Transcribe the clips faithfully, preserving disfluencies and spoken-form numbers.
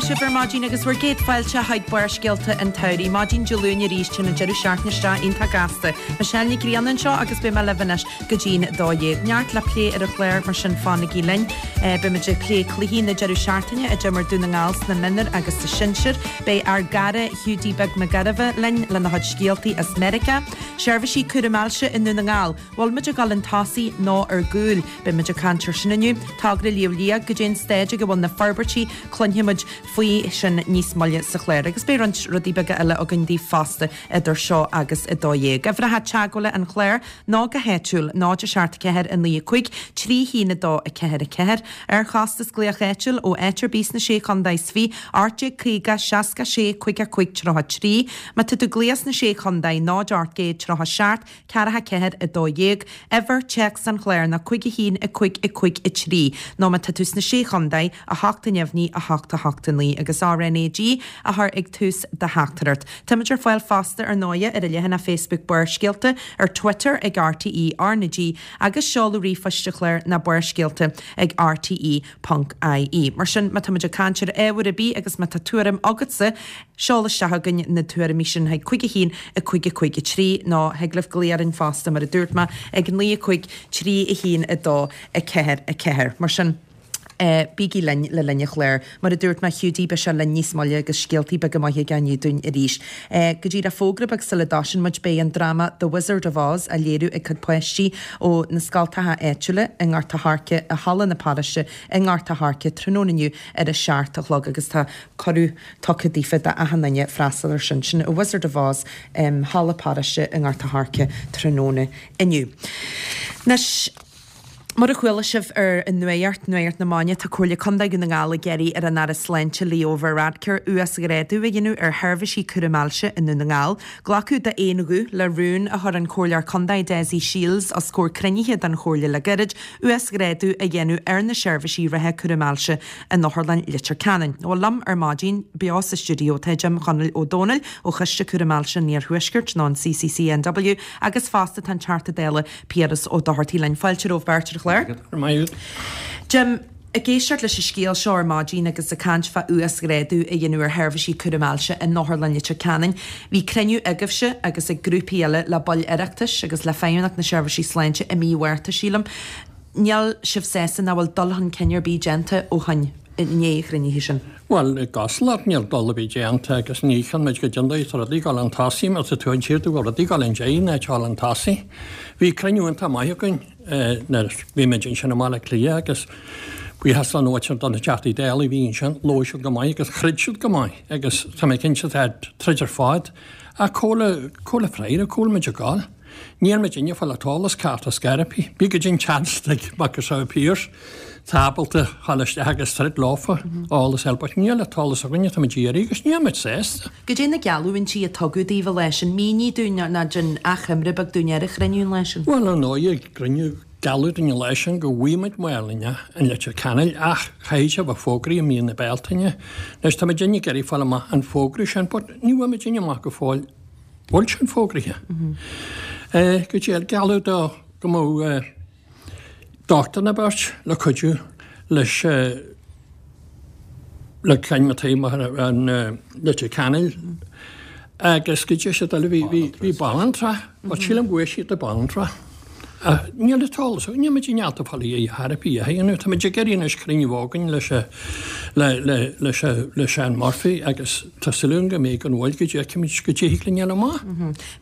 atá sibh ar maidin agus bhur gcéad fáilte chuig Barrscéalta an tSamhraidh. Maidin Dé Luain arís téann an deireadh seachtaine isteach iontach gasta. Michelle Nic Grianna anseo agus beidh mé libh anois go dtí'n dó dhéag. Neart le plé ar an chlár mar sin fanaigí linn. Beimid ag plé cluichí na deireadh seachtaine a d'imir Dún na nGall sna mionúir agus sa sinsir. Beidh ár gcara Hiúdaí Beag Mac Gairbheith linn lena chuid scéaltaí as Meiriceá. Seirbhísí cúraim ailse i nDún na nGall. Bhfuil muid ag dul chun tosaigh nó ar gcúl. Beimid ag caint ar sin inniu. Togra Shliabh Liag goidé an staid ag a bhfuil na forbairtí cluinfimid faoi sin níos moille sa chlár agus beidh roinnt rudaí beaga eile againn daoibh fosta idir seo agus a dó dhéag. Uimhreacha teagmhála an chláir ná go háitiúil náid a seacht ceathair a naoi a cúig trí haon a dó a ceathair a ceathair. Ar chostas glaoch áitiúil ó áit ar bith sna sé chontae is fiche ocht déag caoga seasca sé cúig a cúig tríocha trí. Má tá tú ag glaoch sna sé chontae náid ocht gcéad tríocha seacht ceathracha ceathair a dó dhéag. Uimhir téacs an chláir ná cúig a haon a cúig a cúig a trí. Nó má tá tú sna sé chontae a hocht a neamhní a hocht a hocht a naoi agus RNAG a chur ag tús do theachtaireacht. Táimid ar fáil fosta ar ndóigh ar an leathanach Facebook Barrscéalta ar Twitter ag RTE RnaG agus seoladh ríomhphoist an chláir ná barrscéalta ag RTE.ie. Mar sin má táimid ag caint ar ábhar ar bith agus má tá tuairim agatsa, seol isteach chugainn na tuairimí sin chuig cúig a haon a cúig a cúig a trí nó thig libh glaoch orainn fosta mar a dúirt mé ag naoi a cúig trí a haon a dó a ceathair a ceathair. Mar sin Uh, bígí linn le linn an chláir, mar a dúirt mé Hiúdaí beidh sé linn níos moille agus scéaltaí beaga maithe aige dúinn arís. Uh, go dtí le fógra beag sula dtosaíonn muid beidh an dráma The Wizard of Oz á léiriú ag cuid páistí ó na scoltacha áitiúla i nGort a' Choirce i Halla na Paróiste i nGort a' Choirce tráthnóna inniu ar a seacht a chlog agus tá cuireadh tugtha daofa d'achan duine freastal ar sin sin A Wizard of Oz um, Halla Paróiste i nGort a' Choirce tráthnóna inniu. Anois Mar a chuala sibh ar an nuacht Nuacht na Maidine tá Comhairle Contae Dhún na nGall ag iarraidh ar an Aire Sláinte Leo Varadkar uasghrádú a dhéanamh ar sheirbhísí cúraim ailse i Ndún na nGall. Glacadh d'aon ghuth le rún a chuir an Comhairleoir Contae Dessie Shiels os comhair cruinnithe den Chomhairle le gairid uasghrádú a dhéanamh ar na seirbhísí reatha cúraim ailse in Otharlann Leitir Ceanainn. Ó liom ar maidin beo sa stiúideo tá Jim Chonaill Ó Dónaill ó Choiste Cúraim Ailse an Iarthuaiscirt nó an CCCNW agus fosta tá an Teachta Dála Piaras Ó Dochartaigh linn fáilte romhaibh beirt ar an chlár. Jim, ag éisteacht leis an scéal seo ar maidin agus ag caint fá uasghrádú a dhéanamh ar sheirbhísí cúraim ailse in Otharlann Leitir Ceanainn. Bhí cruinniú agaibhse agus ag grúpaí eile le baill Oireachtais agus le Feidhmeannacht na Seirbhísí Sláinte i mí Mhárta sílim. Níl sibh sásta nach bhfuil dul chun cinn ar bith déanta ó shin i ndiaidh an chruinnithe sin. Well gosla níl dul a bhí déanta agus ní chan muid go diondaí rudaí gal an tosaí mar tá tú an tír go rudaí gal an dé na an tosaí. Bhí cruinniú iontach maith againn nuair bhí muid ansin i mBaile Átha Cliath agus buíochas an áit don na Teachtaí Dála bhí ansin labhair siad go maith agus throid siad go maith agus tá mé cinnte troid ar fad a cóla cóla freire cóla muid gáil. Níl muid inne fáil an t-eolas ceart as scarapí. Bí go dtín chance ag sa Pearse tábalta chail isteach agus troid leofa eolas eile, but níl an t-eolas againne tá muid iarraidh agus níl muid sásta. Goidé na geallúintí a tugadh daoibh leis an mínigh dúinn ná den achoimre beag dúinn ar an chruinniú leis sin. Well an nóigh grinniú gealladh dúinn leis sin go bhfuimid maolinne an Leitir Ceanainn ach chaithfidh sé bheith fógraí i mí na Bealtaine. Anois tá muid ag iarraidh fáil amach an fógra sin, but ní bhfuil muid amach go fóill bhfuil sin fógraithe. Go dtí gealladh do go mbeadh dochtúir na beirt le cuidiú leis le ceann mar an Leitir Ceanainn agus go dtí sé bhí bhí banaltra, but sílim go bhfuil siad i banaltra. Níl an t-eolas, níl muid in ann fáil a therapy a dhéanamh, tá muid ag iarraidh anois cruinniú againn leis le leis le Sean Murphy agus tá súil go mbeidh an bhfuil go dteicimid go dtig linn amach.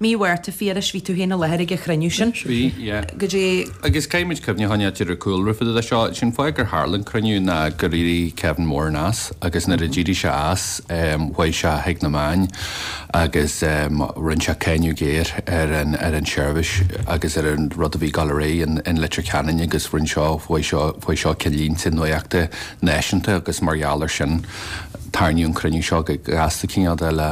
Mí Mhárta Phiarais bhí tú féin i láthair ag an chruinniú sin. Bhí, yeah. Go dtí Agus caithfimid cuimhne ar an cúlra fada seo, sin fáth gur tharla an cruinniú ná gur éirigh Kevin Moran as agus nuair a d'éirigh sé as chuaigh sé chuig na meáin agus rinne sé cáineadh géar ar an ar an seirbhís agus ar an rud a bhí ag dul ar aghaidh in, in Leitir Ceanainn agus rinne seo faoi seo faoi seo ceannlínte nuachta náisiúnta agus mar gheall ar sin tarraingíodh an cruinniú seo go gasta cineál de le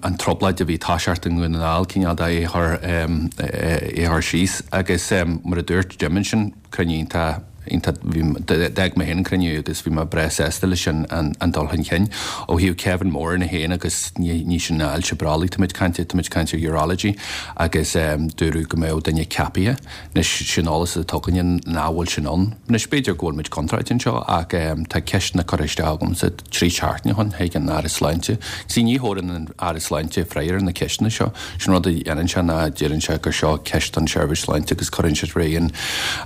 an trioblóid a bhí ag toiseacht i nDún na nGall cineál de é chur é chur síos agus mar a dúirt Jim ansin cruinniú iontach iontach bhí d'fhág mé féin an cruinniú agus bhí mé breá sásta leis an an dul chun cinn ó thaobh Kevin Moran é féin agus ní ní sin ailse brollaigh tá muid caint tá muid caint ar urology agus dúradh go mbeadh duine ceaptha anois sin eolas atá againne nach bhfuil sin ann. Anois b'fhéidir go bhfuil muid contráilte anseo ach tá ceisteanna curtha isteach agamsa trí seachtaine ó shin chuig an Aire Sláinte. See ní thabharann an Aire Sláinte freagra ar na ceisteanna seo. Sin rud a dhéanann sé ná deireann sé gur seo ceist don tSeirbhís Sláinte agus cuireann sé ar aghaidh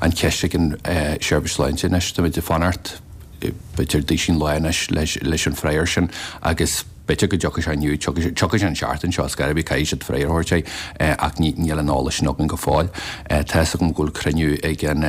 an cheist chuig an tSeirbhís Sláinte. Anois táimid ag fanacht b'fhéidir duisín lá anois leis an freagra sin agus b'fhéidir go dtiocfaidh sé inniu, tiocfaidh sé an seachtain seo, ar scor ar bith caithfidh siad freagra a thabhairt air ach níl an eolas sin againn go fóill. Tá 'fhios agam go bhfuil cruinniú ag an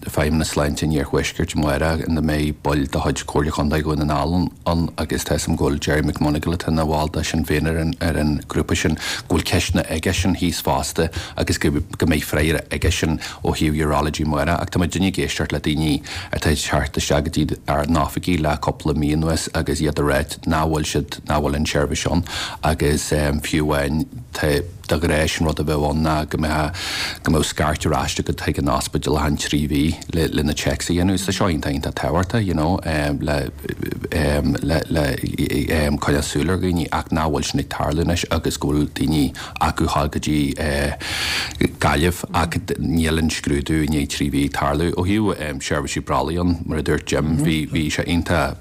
Feidhmeannas Sláinte in Iarthuaisceart amárach ina mbeidh baill de chuid Chomhairle Chontae Dhún na nGall ann agus tá 'fhios agam go bhfuil Gerry McMonagall atá ina bhall de Sinn Féin ar an ar an ghrúpa sin, go bhfuil ceisteanna aigesean thíos fosta agus go go mbeidh freagra aigesean ó thaobh urology amárach. Ach tá muidinne ag éisteacht le daoine atá ag teacht isteach go dtí ár n-oifigí le cúpla mí anuas agus iad ag ráit nach bhfuil siad, nach bhfuil an tseirbhís ann agus fiú amháin tá de ghnáth sin rud a bheadh ann ná go mbeadh go mbeadh scairt ar ais agat chuig an ospidéal achan trí mhí le le na checks a dhéanamh. Tá seo iontach iontach tábhachtach you know le le le coinneáil súil ar dhaoine ach nach bhfuil sin ag tarlú anois agus go bhfuil daoine acu a ghabháil go dtí Gaillimh ach níl an scrúdú i ndiaidh trí mhí ag tarlú. Ó thaobh seirbhísí brollaigh ann mar a dúirt Jim bhí bhí sé iontach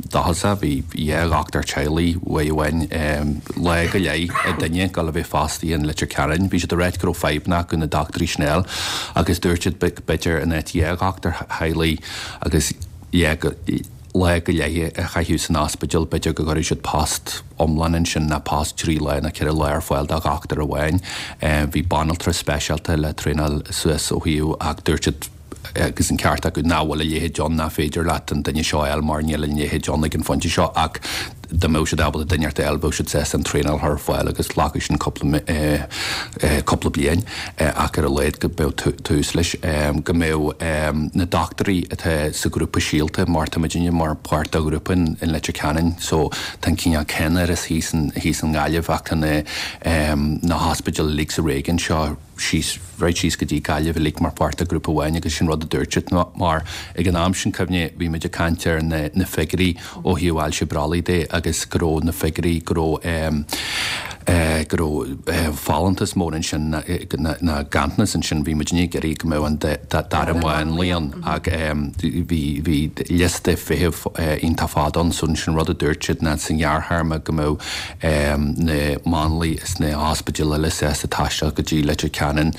dóchasach, bhí dhá dhochtúir teaghlaigh uaidh amháin lá go leith ag duine ag dul a bheith fostaithe in Leitir Ceanainn. Bhí siad ag ráit go raibh fadhbanna acu na dochtúirí sin a fháil agus dúirt siad b'fhéidir in áit dhá dhochtúir theaghlaigh agus dhá lá go leith a chaitheamh san ospidéal, b'fhéidir go gcuirfeadh siad post iomlán ansin ná post trí lá nó ceithre lá ar fáil do dhochtúir amháin. Bhí banaltra speisialta le traenáil suas ó thaobh ach dúirt siad agus an ceart acu nach bhfuil a leithéid ann, nach féidir leat an duine seo a fháil mar níl a leithéid ann ag an phointe seo ach dá mbeadh siad ábalta duine a fháil bheadh siad sásta an traenáil a chur ar fáil agus ghlacfadh sin cúpla cúpla bliain ach ar a laghad go mbeadh tús leis, go mbeadh na dochtúirí atá sa ghrúpa Síolta mar tá muidinne mar páirt de ghrúpa in Leitir Ceanainn so tá an cineál ceannáras thíos thíos i nGaillimh ach tá na na hospidéil uilig sa réigiún seo síos, right síos go dtí Gaillimh uilig mar pháirt de ghrúpa amháin agus sin rud a dúirt siad mar ag an am sin, cuimhnigh, bhí muid ag caint ar na na figiúirí ó thaobh ailse brollaigh de agus go raibh na figiúirí, go raibh eh eh go raibh eh folúntas mór ansin ná ná ganntanas ansin, bhí muidinne ag iarraidh go mbeadh an dara máinlia ann ach eh bhí bhí liosta feithimh eh iontach fada ann so sin rud a dúirt siad ná sa ngearrthéarma go mbeadh na máinliaigh is na hospidéil eile sásta taisteal go dtí Leitir Ceanainn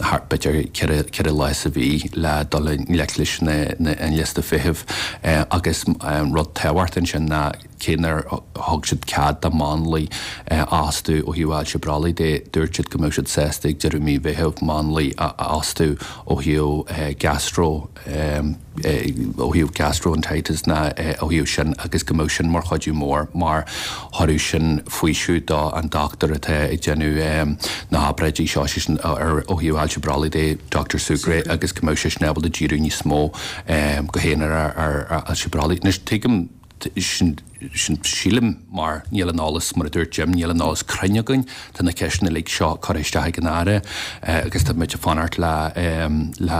thart b'fhéidir ceithre lá sa mhí le dul i ngleic leis an liosta feithimh agus rud tábhachtach ansin ná cé nár thug siad cead do mháinliaigh a fhostú ó thaobh ailse brollaigh de, dúirt siad go mbeadh siad sásta ag deireadh mí Mheithimh máinlia a fhostú ó thaobh gastro ó thaobh gastroenteritis ná ó thaobh sin agus go mbeadh sin mar chuidiú mór mar thabharfadh sin faoiseamh do an dochtúir atá ag déanamh na hobráidí seo, sé sin ó thaobh ailse brollaigh de, Doctor Sugrue, agus go mbeadh seisean ábalta díriú níos mó go haonarach ar ailse brollaigh. Anois tuigim sin sin sílim mar níl an eolas, mar a dúirt Jim, níl an eolas cruinn againn, tá na ceisteanna uilig seo curtha isteach ag an Aire agus tá muid ag fanacht le le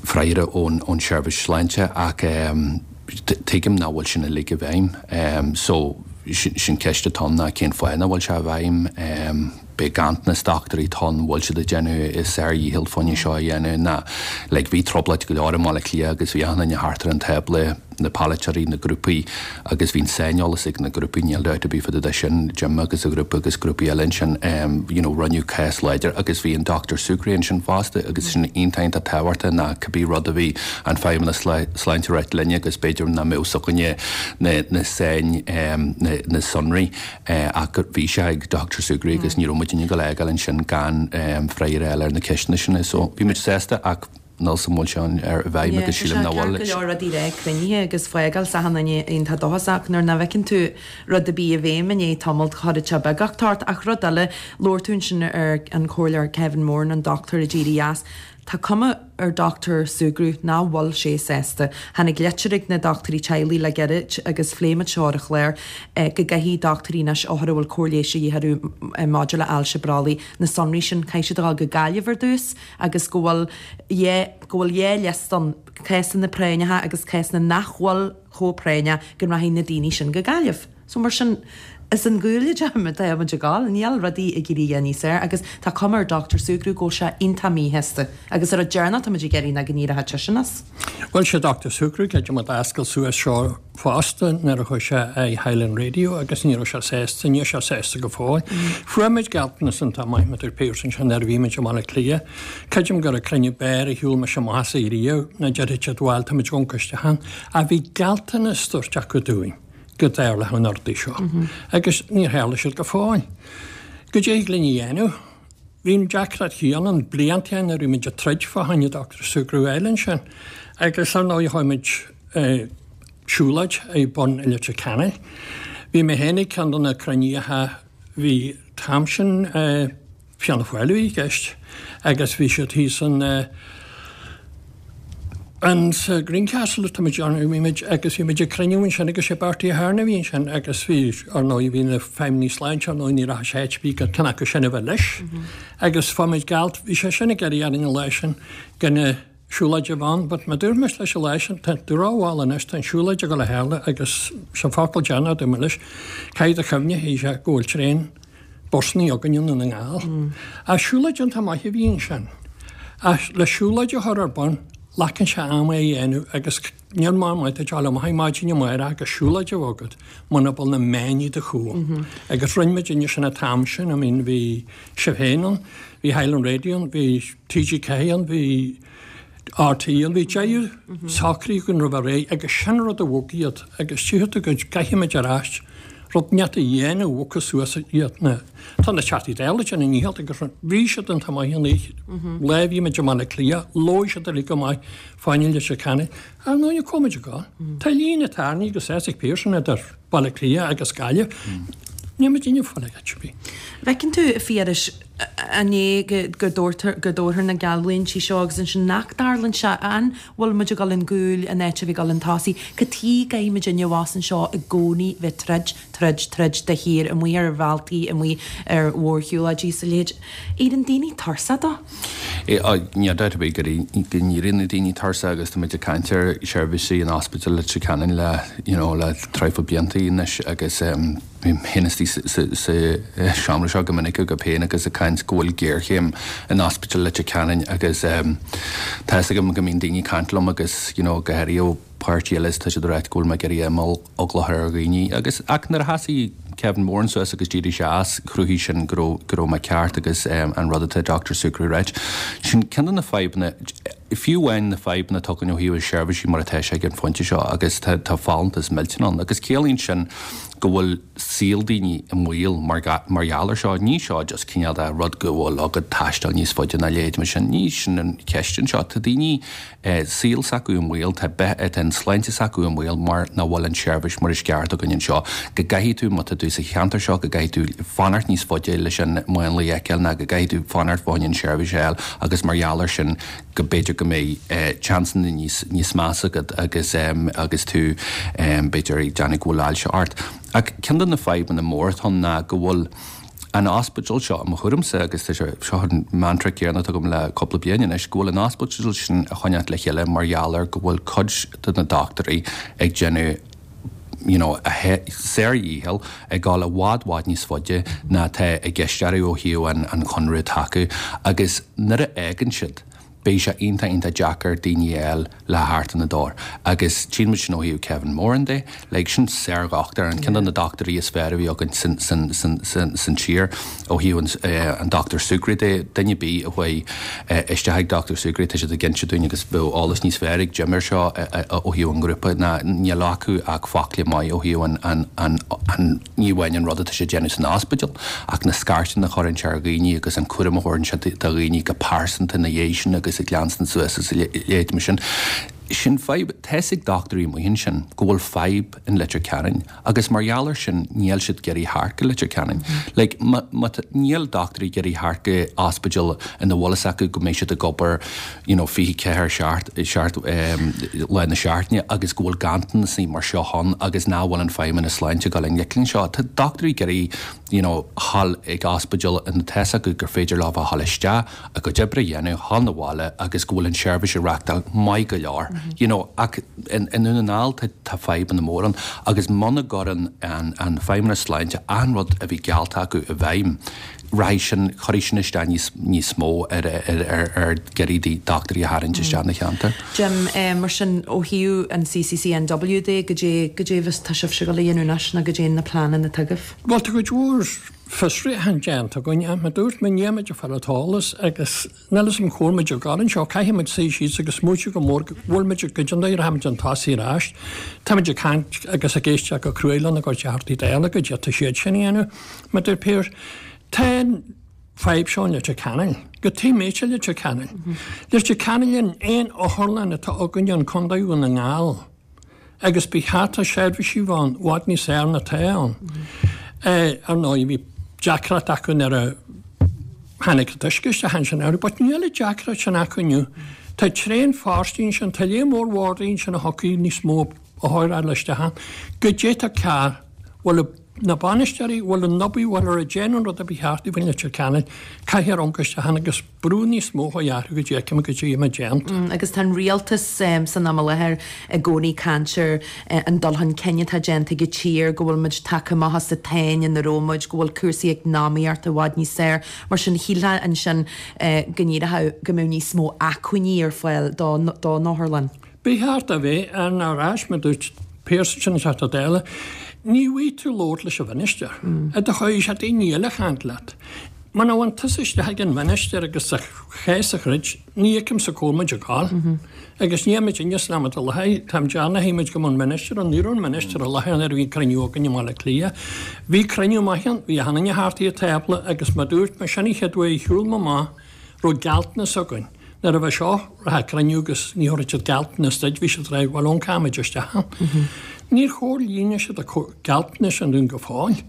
freagra ón ón tSeirbhís Sláinte ach tuigim nach bhfuil sin uilig i bhfeidhm. So sin sin ceist atá ann ná cén fáth nach bhfuil sé i bhfeidhm? Beidh ganntanas dochtúirí atá ann, bhfuil siad ag déanamh a sárdhícheall fá choinne seo a dhéanamh ná like bhí trioblóid go leor i mBaile Átha Cliath agus bhí achan duine thart ar an tábla, na polaiteoirí, na grúpaí agus bhí an saineolas ag na grúpaí, níl dabht ar bith fá dtaobh de sin, Jim agus a ghrúpa agus grúpaí eile ansin you know rinneadh cás láidir agus bhí an Doctor Sugrue ansin fosta agus sin iontach iontach tábhachtach ná cibé rud a bhí an Feidhmeannas Sláinte ag ráit linne agus b'fhéidir nach mbeadh 's againne na na sain na na sonraí ach bhí sé ag Doctor Sugrue agus ní raibh muidinne ag gabháil a fhágáil ansin gan freagra a fháil ar na ceisteanna sin. So bhí muid sásta ach níl 's agam an bhfuil sé i bhfeidhm agus sílim nach bhfuil. Go leor rudaí le cruinnithe agus fágáil 's achan duine iontach dóchasach nuair nach bhfeiceann tú rud ar bith i bhfeidhm i ndiaidh tamaill cuireann sé beagucht ort. Ach rud eile, labhair tú ansin ar an Chomhairleoir Kevin Moran, an dochtúir a d'éirigh as. Tá cuma ar Dr Sugrue nach bhfuil sé sásta. Tháinig litir ag na dochtúirí teaghlaigh le gairid agus phléigh muid seo ar an chlár eh, go gcaithfidh dochtúirí anois othair a bhfuil cóir leighis de dhíth orthu eh, maidir le ailse brollaigh na sonraí sin caithfidh siad a dhul go Gaillimh ar dtús agus go bhfuil go bhfuil dhá liosta ann cásanna práinneacha agus cásanna nach bhfuil chomh práinneach go rachaidh na daoine sin go Gaillimh. So mar sin is an gúile tá muid ag gabháil, níl rudaí ag éirí níos fearr agus tá cuma ar Dr Sugrue go bhfuil sé iontach míshásta agus ar an deireanach tá muid ag iarraidh ná go n-éireodh seisean as. Bhuel sé Dr Sugrue creidim a d'oscail suas seo fosta nuair a chuaigh sé ag Highland Radio agus ní raibh sé sásta, níl sé sásta go fóill. Fuair muid gealltanas iontach maith idir Pearse sin nuair a bhí muid i mBaile Átha Cliath. Creidim gur ag cruinniú beir a shiúil me amach as riamh na deirfidh siad bhuel tá muid goncaiste a bhí gealltanas tugtha acu dúinn go dtarlódh an rudaí seo. Agus níor tharla siad go fóill. Go dtéigh linn a dhéanamh, Bhí an deacracht chéanna ann blianta nuair a bhí muid ag troid fá choinne Dr Sugrue Island sin. Agus ar ndóigh chuaigh muid siúlóid ag bun Leitir Ceanainn. Bhí mé féin ag ceann de na cruinnithe bhí tam sin Fianna Fáil i gceist agus bhí siad thíos an an sa Greencastle tá muid ann bhí muid agus bhí muid ag cruinniú ansin agus sé Bertie Ahern a bhí ansin agus bhí ar ndóigh bhí na feidhmeannaigh sláinte ar ndóigh ní raibh sé bhí go ceann acu sin a bheith leis. Agus fuair muid gealt bhí sé sin ag iarraidh ar an lá sin gan na siúlóid a bheith ann, but má dúirt mise leis an lá sin tá tú rómhall anois tá an siúlóid ag dul a tharla agus sa focal déanamh dúirt mé leis caithfidh do chuimhne hí sé go bhfuil traein busanna againn i nDún na nGall. A siúlóid iontach maith a bhí ansin. A le siúlóid a chur ar bun glacann sé am é a dhéanamh agus níl mar maith tá le maith maidin amárach agus siúlóid a bheith agat muna bhfuil na meáin i do chúl. Agus rinne muid inne sin an t-am sin, I mean bhí sibh féin ann, bhí Highland Radio ann, bhí TG Ceathair ann, bhí RTÉ ann, bhí deireadh socraí go raibh réidh agus sin rud a bhog iad agus tchífidh tú go gcaithfimid ar ais rud neat a dhéanamh bhogfadh suas iad na Tá na Teachtaí Dála sin i ndícheall agus bhí siad an t-maith an oíche. Lá bhí muid i mBaile Átha Cliath, labhair siad uilig go maith fá choinne Leitir Ceanainn. Ar ndóigh cá muid ag gabháil. Tá líne tarraingthe agus ag Pearson idir Baile Átha Cliath agus Gaillimh. Ní muid inne fáil ag bí. Feiceann tú Phiarais an é go dtabharfar na geallúintí seo agus ansin nach dtarlaíonn sé an bhfuil muid ag dul an gúil an áit a bhí dul an tosaigh, Cad chuige go gcaithfidh muid inniu anseo i gcónaí bheith troid, troid, troid de shíor amuigh ar bhealtaí amuigh ar mhórshiúlóidí sa leithéid. Éiríonn daoine tuirseach dó? Ní dabht ar bith go n-éiríonn na daoine tuirseach agus tá muid ag caint ar seirbhísí in ospidéal Leitir Ceanainn le you know, le traidhfil blianta anois agus um, bím istigh sa seomra seo go minic go péin agus ag caint go bhfuil géarchéim in ospidéal Leitir Ceanainn agus um, tá agam go mbíonn daoine caint liom agus you know, go háirithe ó páirtí eile tá siad ag rá go bhfuil mé ag iarraidh imeall eagla a chur ar dhaoine agus ach nuair a thosaigh Kevin Moran suas agus d'éirigh sé as chruthaigh sin go raibh mé ceart agus um, an rud atá Dr. Sugrue ag ráit. Sin ceann de na fadhbanna fiú amháin na fadhbanna tugann ó thaobh seirbhísí mar atá sé ag an phointe seo agus tá tá folúntas millteanach ann agus ciallaíonn sin go bhfuil saol daoine i mbaol mar mar gheall air seo ní seo just cineál de rud go bhfuil agat taisteal níos faide ná leithéid mar sin ní sin an cheist anseo tá daoine eh, saol s'acu i mbaol tá tá an sláinte s'acu i mbaol mar nach bhfuil an seirbhís mar is ceart againn anseo go gcaithfidh tú má tá tú sa cheantar seo go gcaithfidh tú fanacht níos faide leis an máinlia a fheiceáil ná go gcaithfidh tú fanacht fá choinne an seirbhís eile agus mar gheall air sin go b'fhéidir go mbeidh eh, seansanna níos níos measa agat agus um, agus tú um, b'fhéidir ag déanamh go bhfuil ailse ort. Ach ceann de na fadhbanna mór atá ná go bhfuil an ospidéal seo mo thuairimse agus tá sé seo an mantra céanna agam le cúpla bliain anois go bhfuil an ospidéal sin a choinneáil le chéile mar gheall ar go bhfuil cuid de na dochtúirí ag déanamh you know, a sár-dhícheall ag dul i bhfad bhfad níos faide ná tá i gceist ó thaobh an, an chonradh tacu agus nuair a fhágann siad beidh sé iontach iontach deacair daoine eile le theacht ina dtóir. Agus tchíonn muid sin ó thaobh Kevin Moran de, le sin sárdhochtúir an ceann de na dochtúirí is fearr a bhí againn san, san, san, san, san tír ó thaobh an, eh, an Dr. Sugrue de duine ar bith a chuaigh eh, isteach ag Dr. Sugrue tá siad ag inse dúinn agus bheadh eolas níos fearr ag Jim air seo eh, eh, ó thaobh an ghrúpa ná níl acu ach focla maith ó thaobh an, an, an, an ní amháin an rud atá sé déanamh san ospidéal ach na scairteanna a chuireann sé ar dhaoine agus an cúram a thabharann sé do dhaoine go pearsanta na dhiaidh sin agus ag leanstan suas is leithéid mar sin. Sin fadhb, tá's ag dochtúirí amuigh ansin go bhfuil fadhb in Leitir Ceanainn agus mar gheall air sin níl siad ag iarraidh theacht go Leitir Ceanainn. Like, ma, ma, níl dochtúirí ag iarraidh theacht go ospidéal ina bhfuil fhios acu go mbeidh siad ag obair you know, fiche ceathair seacht seacht um, lá na seachtaine agus go bhfuil ganntanas mar seo ann agus nach bhfuil an Feidhmeannas Sláinte ag dul i ngleic anseo. Tá dochtúirí ag iarraidh you know, dhul ag ospidéal ina tá's acu gur féidir leo a dhul isteach a gcuid oibre a dhéanamh dhul 'na bhaile agus go bhfuil an seirbhís á reáchtáil maith go leor. You know, ach in, in Dún na nGall tá, tá fadhbanna mór ann agus muna gcuireann an, an Feidhmeannas Sláinte an rud a bhí geallta acu i bhfeidhm, rachaidh sin chuirfidh sin isteach níos, níos mó ar, ar, ar, ar iarraidh dochtúirí a tharraingt isteach na cheantar. Jim, eh, mar sin ó thaobh an C C C N W de go dé go dé bhus tá sibh ag dul a dhéanamh anois nó goidé na pleananna atá agaibh. Well tá cuid mhór fiosruithe déanta againn mar dúirt mé níl muid ag fáil an t-eolas agus níl fhios agam cá bhfuil muid ag dul anseo caithfidh muid suí síos agus smaoitiú go mór go bhfuil muid go dtí rachaimid chun tosaigh ar ais. Táimid ag caint agus ag éisteacht go cruaidh lena gcuid Teachtaí Dála go dtí tá siad sin a dhéanamh. Mar deir Pearse, tá fadhb seo in Leitir Ceanainn, go tí méite Leitir Ceanainn. Leitir Ceanainn an aon otharlann atá againn an Contae na nGall. Agus ba cheart seirbhísí bheith i bhfad níos fearr ná atá ann. Ar ndóigh bhí deacracht acu nuair a tháinig an t-uisce isteach ansin air, but níl an deacracht sin acu inniu. Tá tréan pháistí ansin, tá léar mór wardaí ansin a thiocfaidh níos mó a thóireáil isteach ann. Go dté cear bhfuil na bainisteoirí bhfuil an obair bhfuil ar a déanamh rud a bhí cheart i bhfuil Leitir Ceanainn caithfidh amharc isteach ann agus brú níos mó a dhearú go dtéice go dtí ma déanta. Mm, agus tá an rialtas um, san am i láthair i gcónaí ag caint ar uh, an dul chun cinn atá déanta ag an tír go bhfuil muid tagtha amach as an tsáinn ina raibh muid go bhfuil cúrsaí eacnamaíochta i bhfad níos fearr mar sin shílfeá ansin uh, go ndéarfadh go mbeadh níos mó acmhainní ar fáil dá dá n-otharlann. Ba cheart a bheith ar ar ais mar dúirt Pearse sin Teachta Dála, ní bhfaighidh tú labhairt leis an mhinistir. A do chuir sé daoine eile caint leat. Man bhain tusa isteach ag an mhinistir agus sa chéas a chruid, ní fheicim sa cómuid a gáil. Agus ní muid inne sna a le Tá deanna muid go an minister an ní an minister a le ar bhí cruinniú againn i mBaile Átha Cliath. Bhí cruinniú maith ann, bhí hanna hartaí tábla agus mar dúirt mé sin chéad uair shiúil amach raibh gealltanas againn. Nuair a bheith seo ra cruinniú agus ní thuirt siad gealltanas duit bhí siad rá bhfuil ón caimiid isteach. Níor chomhlíon siad a gealltanas an dún go fóill.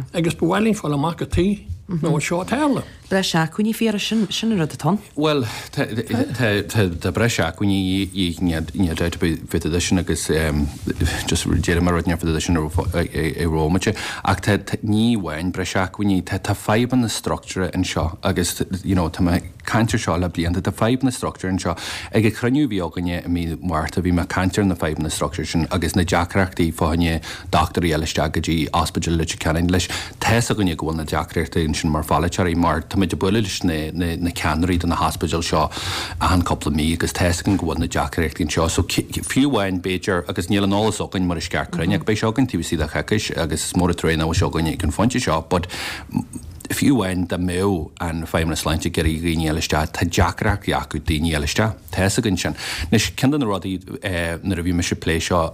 Agus ba bhhailín fáil amach go tí nó seo tarla. Breis acmhainní fíor sin sin an rud atá. Well tá breis acmhainní ní bit sin agus just déire mar rud fud sin i rómaite ach ní bhain breis acmhainní tá fadhbanna struchtúir anseo agus you know, tá mé caint air seo le blianta tá fadhbanna struchtúir anseo ag a chruinniú bhí againne i mí Márta bhí mé caint ar na fadhbanna struchtúir sin agus na deacrachtaí fá choinne dochtúirí eile isteach go dtí ospidéal Leitir Ceanainn leis tá's againne go bhfuil na deacrachtaí sin mar pholaiteoirí mar tá muid ag bualadh leis na, na, na ceannairí de na hospidéil seo achan cúpla mí agus tá's againn go bhfuil na deacrachtaí seo so fiú amháin b'fhéidir agus níl an eolas againn mar is ceart cruinn ach beidh sé againn taobh istigh de choicís agus is mór an trua nach bhfuil sé againn ag an phointe seo but fiú amháin dá mbeadh an Feidhmeannas Sláinte ag iarraidh daoine eile isteach tá deacrachtaí acu daoine eile isteach Tá's againn sin. Anois ceann de na rudaí eh, nuair a bhí mise plé seo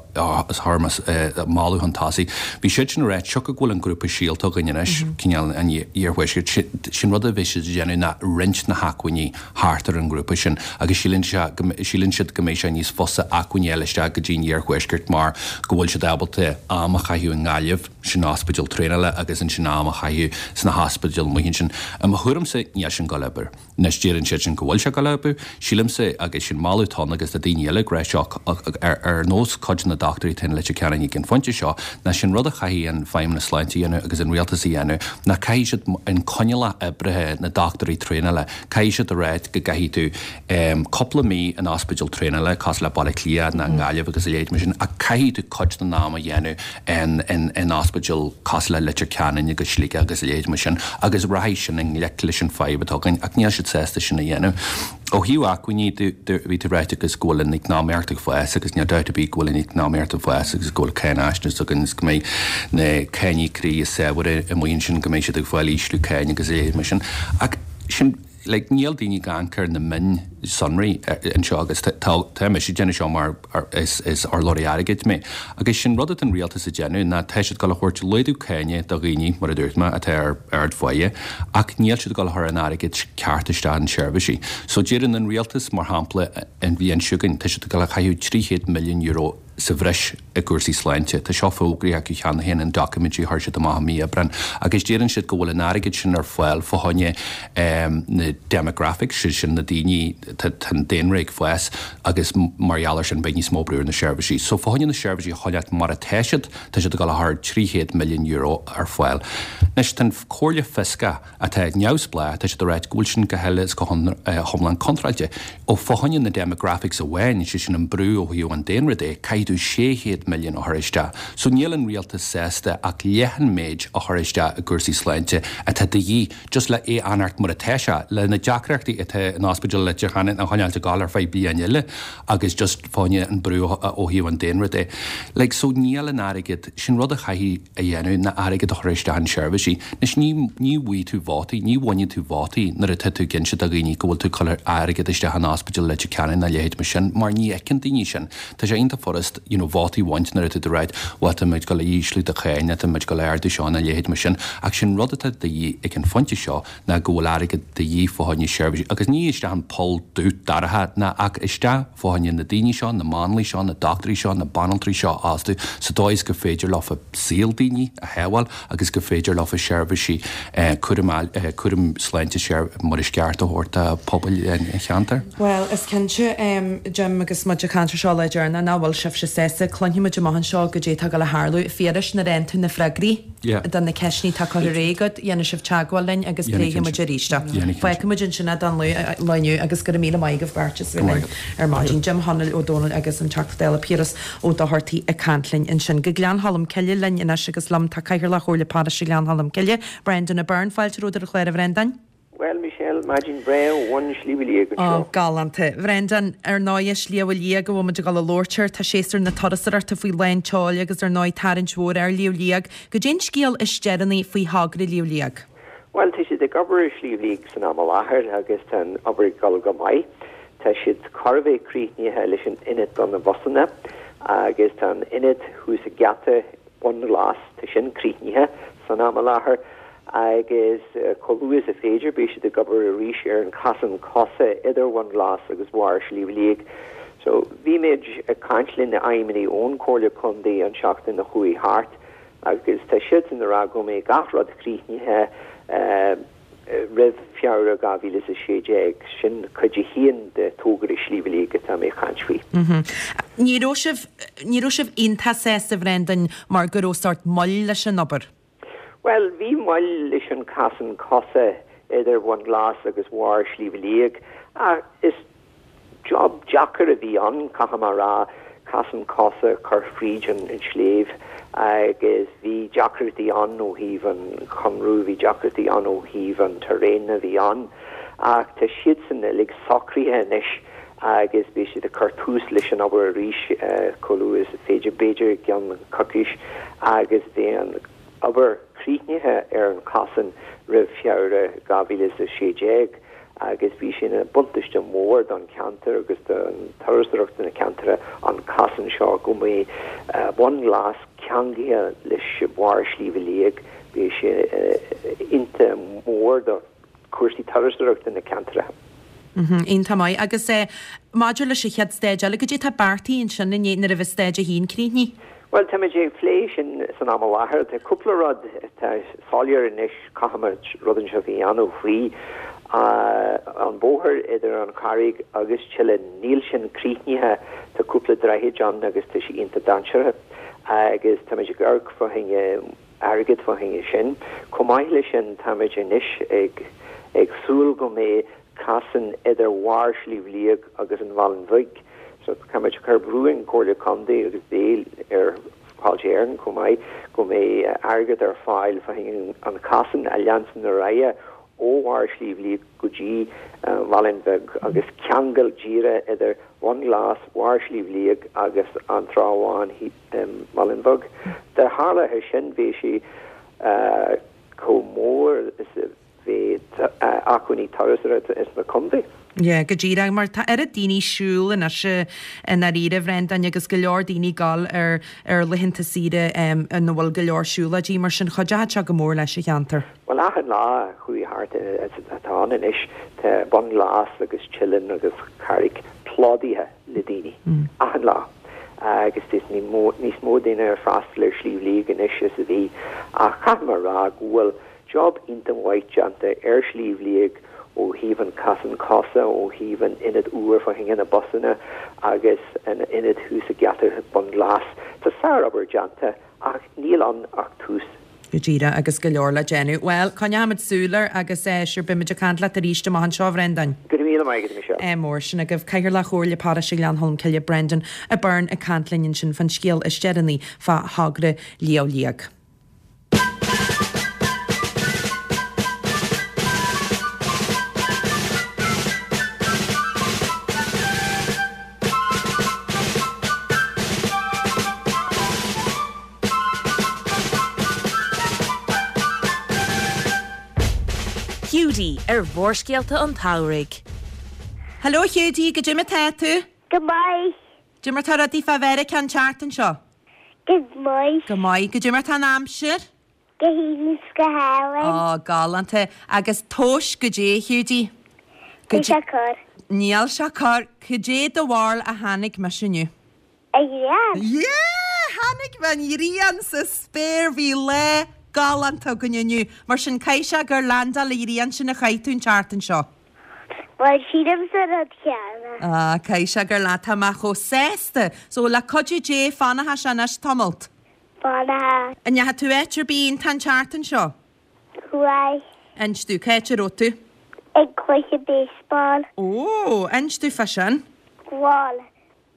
is tharmas moladh chun tosaigh. Bhí siad sin rá seo go bhfuil an grúpa Síolta againn anois cineál an iarthuaiscirt sin rud a bhí siad déanamh ná roinnt na hacmhainní thart ar an grúpa sin agus síleann síleann siad go mbeidh sé níos fusa acmhainní eile isteach go dtí an iarthuaiscirt mar go bhfuil siad ábalta am a chaitheamh i nGaillimh sin ospidéal traenála agus ansin am a chaitheamh sna hospidéil amuigh ansin. I mo thuairimse níl sin ag obair. Anois deireann siad sin go bhfuil sé ag obair, sílimse agus sin moladh atá agus tá daoine eile ag rá seo ar ar nós cuid na dochtúirí atá in Leitir Ceanainn ag an phointe seo ná sin rud a chaithfidh an Feidhmeannas Sláinte a dhéanamh agus an rialtas a dhéanamh ná caithfidh siad an coinníollacha oibre na dochtúirí traenála caithfidh siad a rá go gcaithfidh tú um, cúpla mí in ospidéal traenála cosúil le Baile Átha Cliath ná Gaillimh agus a leithéid mar sin a caithfidh tú cuid den am a dhéanamh in, in, in ospidéal cosúil le Leitir Ceanainn agus Sligeach agus a leithéid mar sin agus rachaidh sin i ngleic leis an fadhb atá againn ach níl siad sásta sin a dhéanamh. Ó thaobh acmhainní bhí tú ráite agus go bhfuil an eacnamaíocht ag fás agus níl dabht ar bith go bhfuil an eacnamaíocht ag fás agus go bhfuil cáinaisnéis againn go mbeidh na cáiníocóirí is saibhre amuigh ansin go mbeidh siad ag fáil ísliú cáin agus é mar sin ach sin Like, níl daoine ag amharc ar na mionsonraí anseo agus tá mise ag déanamh seo mar is is urlabhraí airgid mé. Agus sin rud atá an rialtas ag déanamh ná tá siad ag dul a thabhairt laghdú cáine do dhaoine mar a dúirt mé atá ar ardpháighe ach níl siad ag dul a chur an airgid ceart isteach in seirbhísí. So deireann an rialtas mar shampla an bhliain seo chugainn tá siad ag dul a chaitheamh trí chéad milliún euro sa bhreis i gcúrsaí sláinte. Tá seo fógraithe acu cheana féin in doiciméidí a chuir siad amach i mí Aibreáin agus deireann siad go bhfuil an airgead sin ar fáil fá choinne na demographics, sé sin na daoine, tá an daonra ag fás agus mar gheall air sin beidh níos mó brú ar na seirbhísí. So fá choinne na seirbhísí a choinneáil mar atá siad, tá siad ag dul a chur trí chéad milliún euro ar fáil. Anois tá an Chomhairle Fioscach atá neamhspleách, tá siad ag ráit go bhfuil sin go huile is go hiomlán contráilte. Ó fá choinne na demographics amháin, sé sin an brú ó thaobh an daonra de, caithfidh tú sé chéad milliún a chur isteach. So níl an rialtas sásta ach leath an méid a chur isteach i gcúrsaí sláinte atá de dhíth just le é a fhanacht mar atá sé, le na deacrachtaí atá in ospidéal Leitir Ceanainn a choinneáilt ag gabháil ar feadh bliain eile agus just fá choinne an brú ó thaobh an daonra de. Like, so níl an airgead, sin rud a chaithfidh a dhéanamh ná airgead a chur isteach in seirbhísí. Anois ní, ní bhfaighidh tú vótaí, ní bhaineann tú vótaí nuair atá tú ag inse do dhaoine go bhfuil tú ag cur airgead isteach in ospidéal Leitir Ceanainn ná leithéid mar sin, mar ní fheiceann daoine sin. Tá sé iontach furast, you know, vótaí a bhaint nuair atá tú ag ráit, bhuel tá muid ag dul a ísliú do cháin, tá muid ag dul a ardú seo ná leithéid mar sin, ach sin rud atá de dhíth ag an phointe seo ná go bhfuil airgead de dhíth fá choinne seirbhísí, agus ní isteach in poll dubh dorcha ná ach isteach fá choinne na daoine seo, na máinliaigh seo, na dochtúirí seo, na banaltraí seo a fhostú sa dóigh is gur féidir leofa saol daoine a shábháil agus gur féidir leofa seirbhísí cúraim cúram sláinte mar is ceart a thabhairt do phobail an cheantair. Bhuel, is cinnte, Jim, agus muid ag caint ar seo le deireanas, nach bhfuil sibhse sásta, cluinfidh muid amach anseo goidé atá ag dul a tharlú. Phiarais, nuair a fhaigheann tú na freagraí do na ceisteanna atá curtha ar aghaidh agat, dhéanfaidh sibh teagmháil linn agus pléifidh muid arís é. Fágfaidh muid ansin é don lá inniu agus go raibh míle maith agaibh beirt as bheith linn ar maidin. Jim Chonaill Ó Dónaill agus an Teachta Dála Piaras Ó Dochartaigh ag caint linn ansin. Go Gleann Cholm Cille linn anois agus liom tá Cathaoirleach Chomhairle Paróiste Ghleann Cholm Cille, Brendan O'Byrne. Fáilte romhat ar an chlár, a Bhrendáin. Bhuel, Michelle, maidin bhreá ó bhun Shliabh Liag anseo. Ó, galánta. Bhrendan, ar ndóigh, Sliabh Liag a bhfuil muid ag dul a labhairt air, tá séasúr na turasóireachta faoi lán tseoil agus ar ndóigh tarraingt mhór ar Shliabh Liag. Goidé an scéal is deireanaí faoi thogra Shliabh Liag? Bhuel, tá siad ag obair ar Shliabh Liag san am i láthair agus tá an obair ag dul go maith. Tá siad chóir a bheith críochnaithe leis an ionad do na busanna agus tá an ionad thuas ag geata Bhun Glas, tá sin críochnaithe san am i láthair agus chomh luath is a féidir beidh siad ag obair arís ar an chasán cosa idir Bhun Glas agus barr Shliabh Liag. So bhí muid ag caint le na feidhmeannaigh ón Chomhairle Contae an tseachtain a chuaigh thart agus tá siadsan ag rá go mbeidh gach rud críochnaithe roimh Feabhra dhá mhíle is a sé déag. Sin cuid a haon de togra Shliabh Liag atá mé ag caint faoi. Ní raibh sibh, ní raibh sibh iontach sásta, a Bhrendan, mar go raibh sórt moill leis an obair? Bhuel, bhí moill leis an casán cosa idir Bhun Glas agus bharr Shliabh Liag ach is job deacair a bhí ann, caithfidh mé a rá, casán cosa a chur fríd an sliabh agus bhí deacrachtaí ann ó thaobh an chonradh, bhí deacrachtaí ann ó thaobh an terrain a bhí ann ach tá siadsan uilig socraithe anois agus beidh siad ag cur tús leis an obair arís chomh luath is féidir, b'fhéidir i gceann coicís agus beidh an obair críochnaithe ar an chasán roimh Feabhra dhá mhíle is a sé déag agus bhí sé ina buntáiste mór don cheantar agus don turasóireacht na ceantair an casán seo go mbeidh Bun Glas ceangailte leis barr Shliabh Liag beidh sé iontach mór do chúrsaí turasóireachta na ceantair. Iontach maith. Agus maidir leis an chéad stage eile, goidé atá beartaithe ansin i ndiaidh nuair a bheidh stage a haon críochnaithe? Bhuel, táimid ag plé sin san am i láthair. Tá cúpla rud atá soiléir anois, caithfimid rud inteacht a dhéanamh faoi. An bóthar idir an Charraig agus Tillane, níl sin críochnaithe, tá cúpla droichid ann agus tá sé iontach dainséarach agus táimid ag amharc fá choinne airgead fá choinne sin. Chomh maith leis sin, táimid anois ag ag súil go mbeidh casán idir bharr Shliabh Liag agus an Mhálainn Bhig. So táimid ag cur brú ar an Chomhairle Contae agus béil ar Fáilte Éireann chomh maith go mbeidh airgead ar fáil fá choinne an casán a leanstan ar aghaidh ó bharr Shliabh Liag go dtí an Mhálainn Bheag agus ceangal díreach idir Bhun Glas, barr Shliabh Liag agus an Trá Bháin Málainn Bheag. Dá tharlódh sin bheadh sé chomh mór is a bheith acmhainní turasóireachta ins na contae. Yeah, go díreach, mar tá oiread daoine siúl anois i ndáiríre, a Bhrendáin, agus go leor daoine ag gabháil ar ar laethanta saoire ina bhfuil go leor siúlóidí, mar sin chuideochadh sé go mór leis an cheantar. Bhuel, achan lá a chuaigh thart atá ann anois, tá Bun Glas agus Teileann agus Carraig plódaithe le daoine, achan lá. Agus is níos mó daoine ag freastal ar Shliabh Liag anois is a bhí, ach caithfidh mé a rá go bhfuil job iontach mhaith déanta ar Shliabh Liag ó thaobh an casán cosa, ó thaobh an ionad úr fá choinne na busanna agus an ionad thuas ag geata Bun Glas. Tá sárobair déanta ach níl ann ach tús. Go díreach, agus go leor le déanamh. Bhuel, coinneoimid súil air agus sure beimid ag caint leat arís amach anseo, a Bhrendáin. Go raibh míle maith agat, a Michelle. Ádh mór. Sin agaibh Cathaoirleach Chomhairle Paróiste Ghleann Cholm Cille, Brendan Byrne ag caint linn ansin fán scéal is deireanaí fá thogra Shliabh Liag. Hiúdaí ar Mhórscéalta an tSamhraidh. Hello a Hiúdaí, goidé mar tá tú? Go maith. Goidé mar tá rudaí fá Mheiriceá an tseachtain seo? Go maith. Go maith. Goidé mar tá an aimsir? Go haoibhinn 's go hálainn. Ó, galánta. Agus tomhais goidé, a Hiúdaí? Níl sé corr. Níl sé corr. Goidé do bharúil a chonaic mise inniu? An ghrian. Yeah! Chonaic mé an ghrian sa spéir. Bhí lá galánta againn inniu. Mar sin, caithfidh sé gur landáil an ghrian sin a chaith tú an tseachtain seo. Bhuel, sílimse an rud céanna. Ah, caithfidh sé gur lá. Tá mé chomh sásta. So, le cuidiú Dé, fanfaidh sé anois tamalt. Fanfaidh. An ndeachaigh tú áit ar bith iontach an tseachtain seo? Chuaigh. Inis domh, cá háit a raibh tú? Ag cluiche baseball. Ó, inis domh fá sin. Bhuel,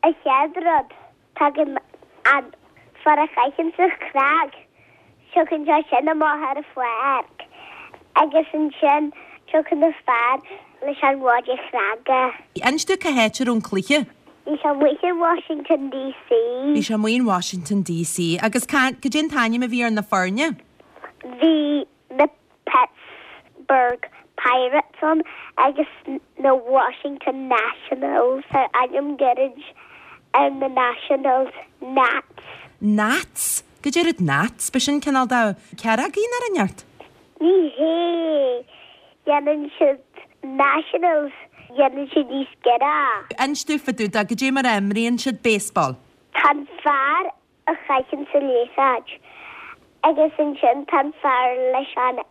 an chéad rud, tagann an fear a chaitheann sa chnag, siocann sé sin amach ar an pháirc agus ansin siocann na fear leis an mhaide chnaga. Inis domh cá háit a raibh an cluiche. Bhí sé amuigh in Washington DC. Bhí sé amuigh in Washington DC. Agus cá, cad é an t-ainm a bhí ar na foirne? Bhí na Pittsburgh Pirates ann agus na Washington Nationals. Tá ainm gairid ar na Nationals, Nats. Nats? Cad é rud Nats? Ba sin cineál de cearrógaí nó rud inteacht? Ní hé. Dhéanann siad Nationals, dhéanann siad níos giorra. Inis domh fá dtaobh de, cad é mar a imríonn siad baseball? Tá an fear a chaitheann sa liathróid agus ansin tá an fear leis an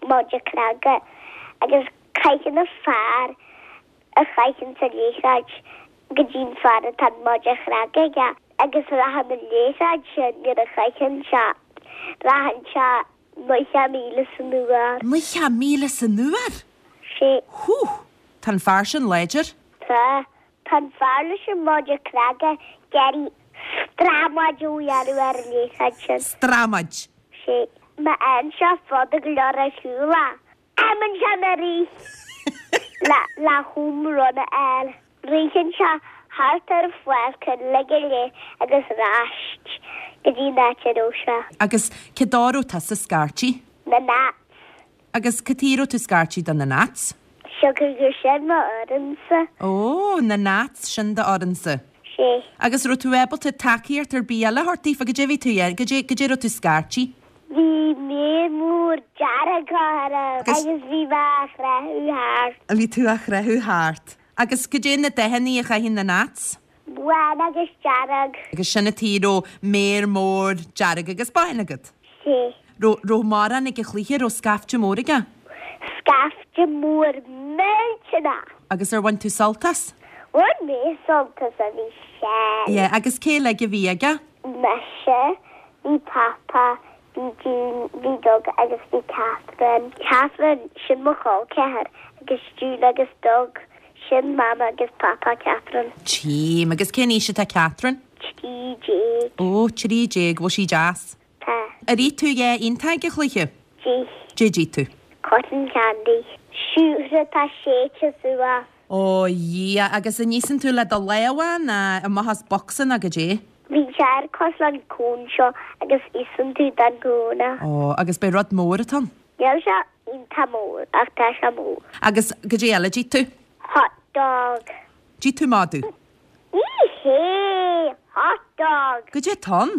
maide cnaga agus caitheann an fear a chaitheann sa liathróid go dtí an fear atá an maide cnaga aige agus rachann an liathróid sin nuair a chaitheann sé, rachann sé Nócha míle san uair. Nócha míle san uair? Sé. Hú! Tá an fear sin láidir. Tá. Tá an fear leis an maide cnaga ag iarraidh stramaid a dhéanamh ar an liathróid sin. Stramaid. Sé. Má fhaigheann sé fada go leor ar shiúl é, imíonn sé ina rith le le home run a fháil. Ritheann sé thart ar an pháirc uilig go léir agus ar ais go dtí an áit a raibh sé. Agus cé dó a raibh tusa scairtigh? Na Nats. Agus cad chuige a raibh tú scairtigh do na Nats? Siocair gur sin mo fhoireannsa. Ó, na Nats, sin do fhoireannsa. Sé. Agus raibh tú ábalta tacaíocht ar bith eile a thabhairt daofa? Goidé a bhí tú a dhéanamh? Goidé, goidé a raibh tú scairtigh? Bhí méar mór dearg orm agus bhí mé á chroitheadh thart. Bhí tú á chroitheadh thart. Agus goidé na dathannaí a chaitheann na Nats? Bán agus dearg. Agus sin an tuige a raibh méar mór dearg agus bán agat? Sé. Raibh, raibh mórán ag an chluiche, raibh scaifte mór aige? Scaifte mór millteanach. Agus ar bhain tú sult as? Bhain mé sult as, a bhí sé. Yeah, agus cé uilig a bhí aige? Mise, bhí Papa, Bhí June, bhí Doug agus bhí Catherine. Catherine, sin mo chol ceathar, agus June agus Doug, sin Mama agus Papa Catherine. Tchím. Agus cén aois atá Catherine? Trí déag. Ó, trí déag. Bhfuil sí deas? Tá. Ar ith tú a dhath iontach ag an chluiche? D'ith. Goidé d'ith tú? Cotton candy. Siúcra atá séidte suas. Ó, a Dhia, agus an íosann tú le do lámha nó amach as bocsa nó goidé? Bíonn sé ar cosúil an cón seo agus íosann tú den gcón. Ó, agus b'é rud mór atá ann? Níl sé iontach mór ach tá sé mór. Agus goidé eile d'ith tú? Hot dog. D'ith tú madadh? Ní hé! Hot dog. Goidé atá ann?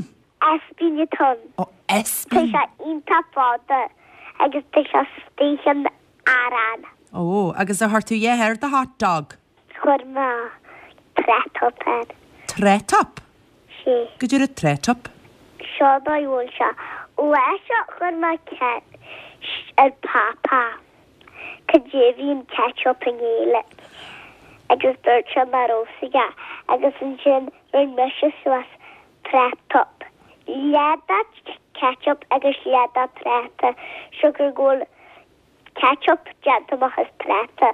Ispín atá ann. Ó, Tá ispín. sé iontach fada agus tá sé istigh in arán. Ó, agus ar chuir tú a dhath ar do hot dog? Chuir mé trétop air. Trétop? Sé. Goidé rud trétop? Seo an dóigh a bhfuil sé. Lá seo chuir mé ceist ar Papa cad é a bhí in ketchup i nGaeilge agus dúirt sé nach raibh a fhios aige agus ansin rinne mise suas trétop. Leath de ketchup agus leath de práta siocair go bhfuil ketchup déanta amach as práta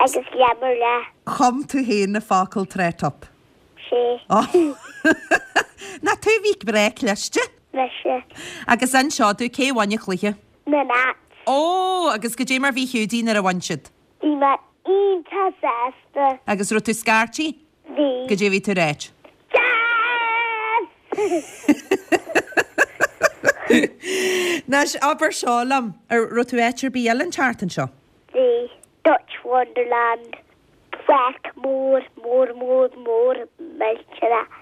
agus leath mar leath. Chum tú féin na focail trétop? Sé. Nach tú a bhí breá cliste? Mise. Agus inis domh cé bhain an cluiche? Na Nats. Ó, agus goidé mar bhí Hiúdaí nuair a bhain siad? Bhí mé iontach sásta. Agus raibh tú scairtigh? Bhí. Goidé bhí tú ag ráit? Yes! Anois abair seo liom, ar raibh tú áit ar bith eile an tseachtain seo? Bhí. Dutch Wonderland. Páirc mór, mór, mór, mór millteanach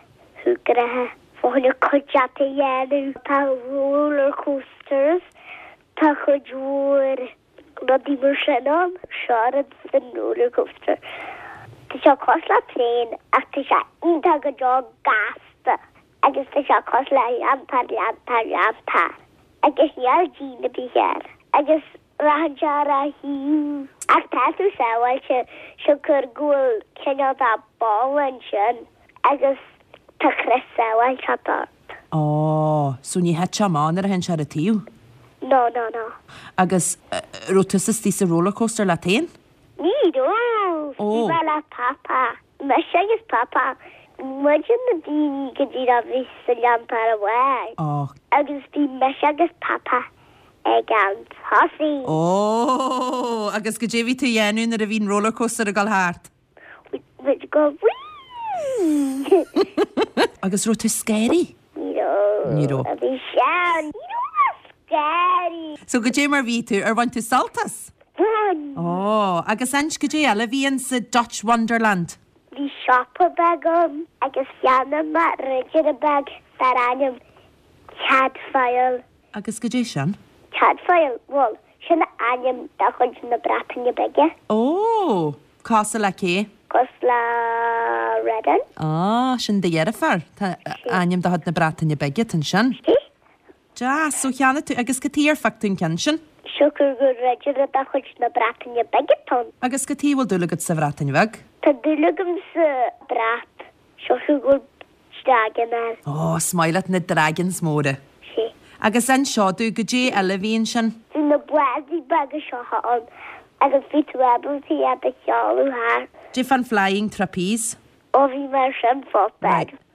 súgartha. Fá choinne cuideachta a dhéanamh. Tá roller coasters, tá cuid mhór rudaí mar sin ann. Seo rud san roller coaster. Tá sé cosúil le traein ach tá sé iontach go deo gasta agus tá sé cosúil le leantóir, leantóir, leantóir. Agus níl díon ar bith air. Agus rachann sé ar a thaobh. Ach tá tú sábháilte siocair go bhfuil cineál de balla ansin agus tá crios sábháilteachta ort. Ó, so ní thit sé amach nuair a théann sé ar a taobh? No, no, no. Agus raibh tusa istigh sa roller coaster leat féin? Ní raibh! Ó. Bhí mé le Papa. Mise agus Papa. Muide na daoine go díreach a bhí sa leantóir amháin. Ó. Agus bhí mise agus Papa ag an tosaigh. Ó, agus goidé a bhí tú a dhéanamh nuair a bhí an roller coaster ag dul thart? Bhí muid ag goil whee! Agus raibh tú scary? Ní raibh. Ní raibh. Bhí sean. Ní raibh mé scary. So goidé mar bhí tú, ar bhain tú sult as? Bhain. Ó, agus inis goidé eile a bhí in sa Dutch Wonderland? Bhí siopa beag ann agus cheannaigh mé ridire beag dar ainm Cadfael. Agus goidé sin? Cadfael, bhuel, sin ainm de chuid na Breataine Bige. Ó, cosúil le cé? Cosúil le Redden. Á, sin do dheirfiúr. Tá ainm de chuid na Breataine Bige ansin. Sí. Deas, so cheannaigh tú, agus cad chuige ar phioc tú an ceann sin? Siocair gur ridire de chuid na Breataine Bige atá ann. Agus cad chuige a bhfuil dúil agat sa Bhreatain Bheag? Tá dúil agam sa brat, siocair go bhfuil dragan air. Ó, is maith leat na dragons móra. Sí. Agus inis domh, goidé eile a bhí ansin? Bhí na báidí beaga seo ann agus bhí tú ábalta iad a sheoladh thart. Goidé fán flying trapeze? Ó bhí mé ar sin fosta.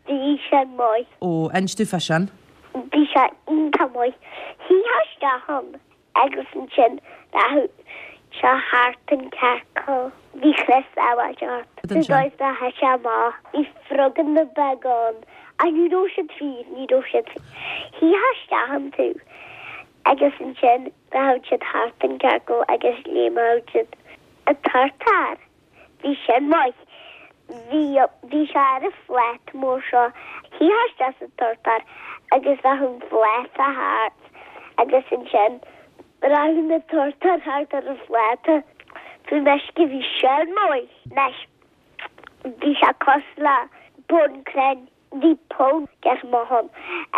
Bhí sin maith. Ó, inis domh fá sin. Bhí sé iontach maith. Shuífeá isteach ann agus ansin rachadh sé thart an ciorcal. Bhí crios sábháilte ort. Ansin. Sa dóigh is nár thit sé amach. Bhí froganna beaga ann. Ach ní raibh siad fíor, ní raibh siad fíor. Shuífeá isteach iontu agus ansin rachadh siad thart an ciorcal agus léimeadh siad. An turtar. Bhí sin maith. Bhí, bhí sé ar an phláta mór seo. Shuífeá isteach sa turtar agus rachadh an pláta thart agus ansin rachadh na turtair thart ar an phláta. Faoin uisce bhí sin maith. Anois, bhí sé cosúil le bun crainn. Bhí poll gearr maith ann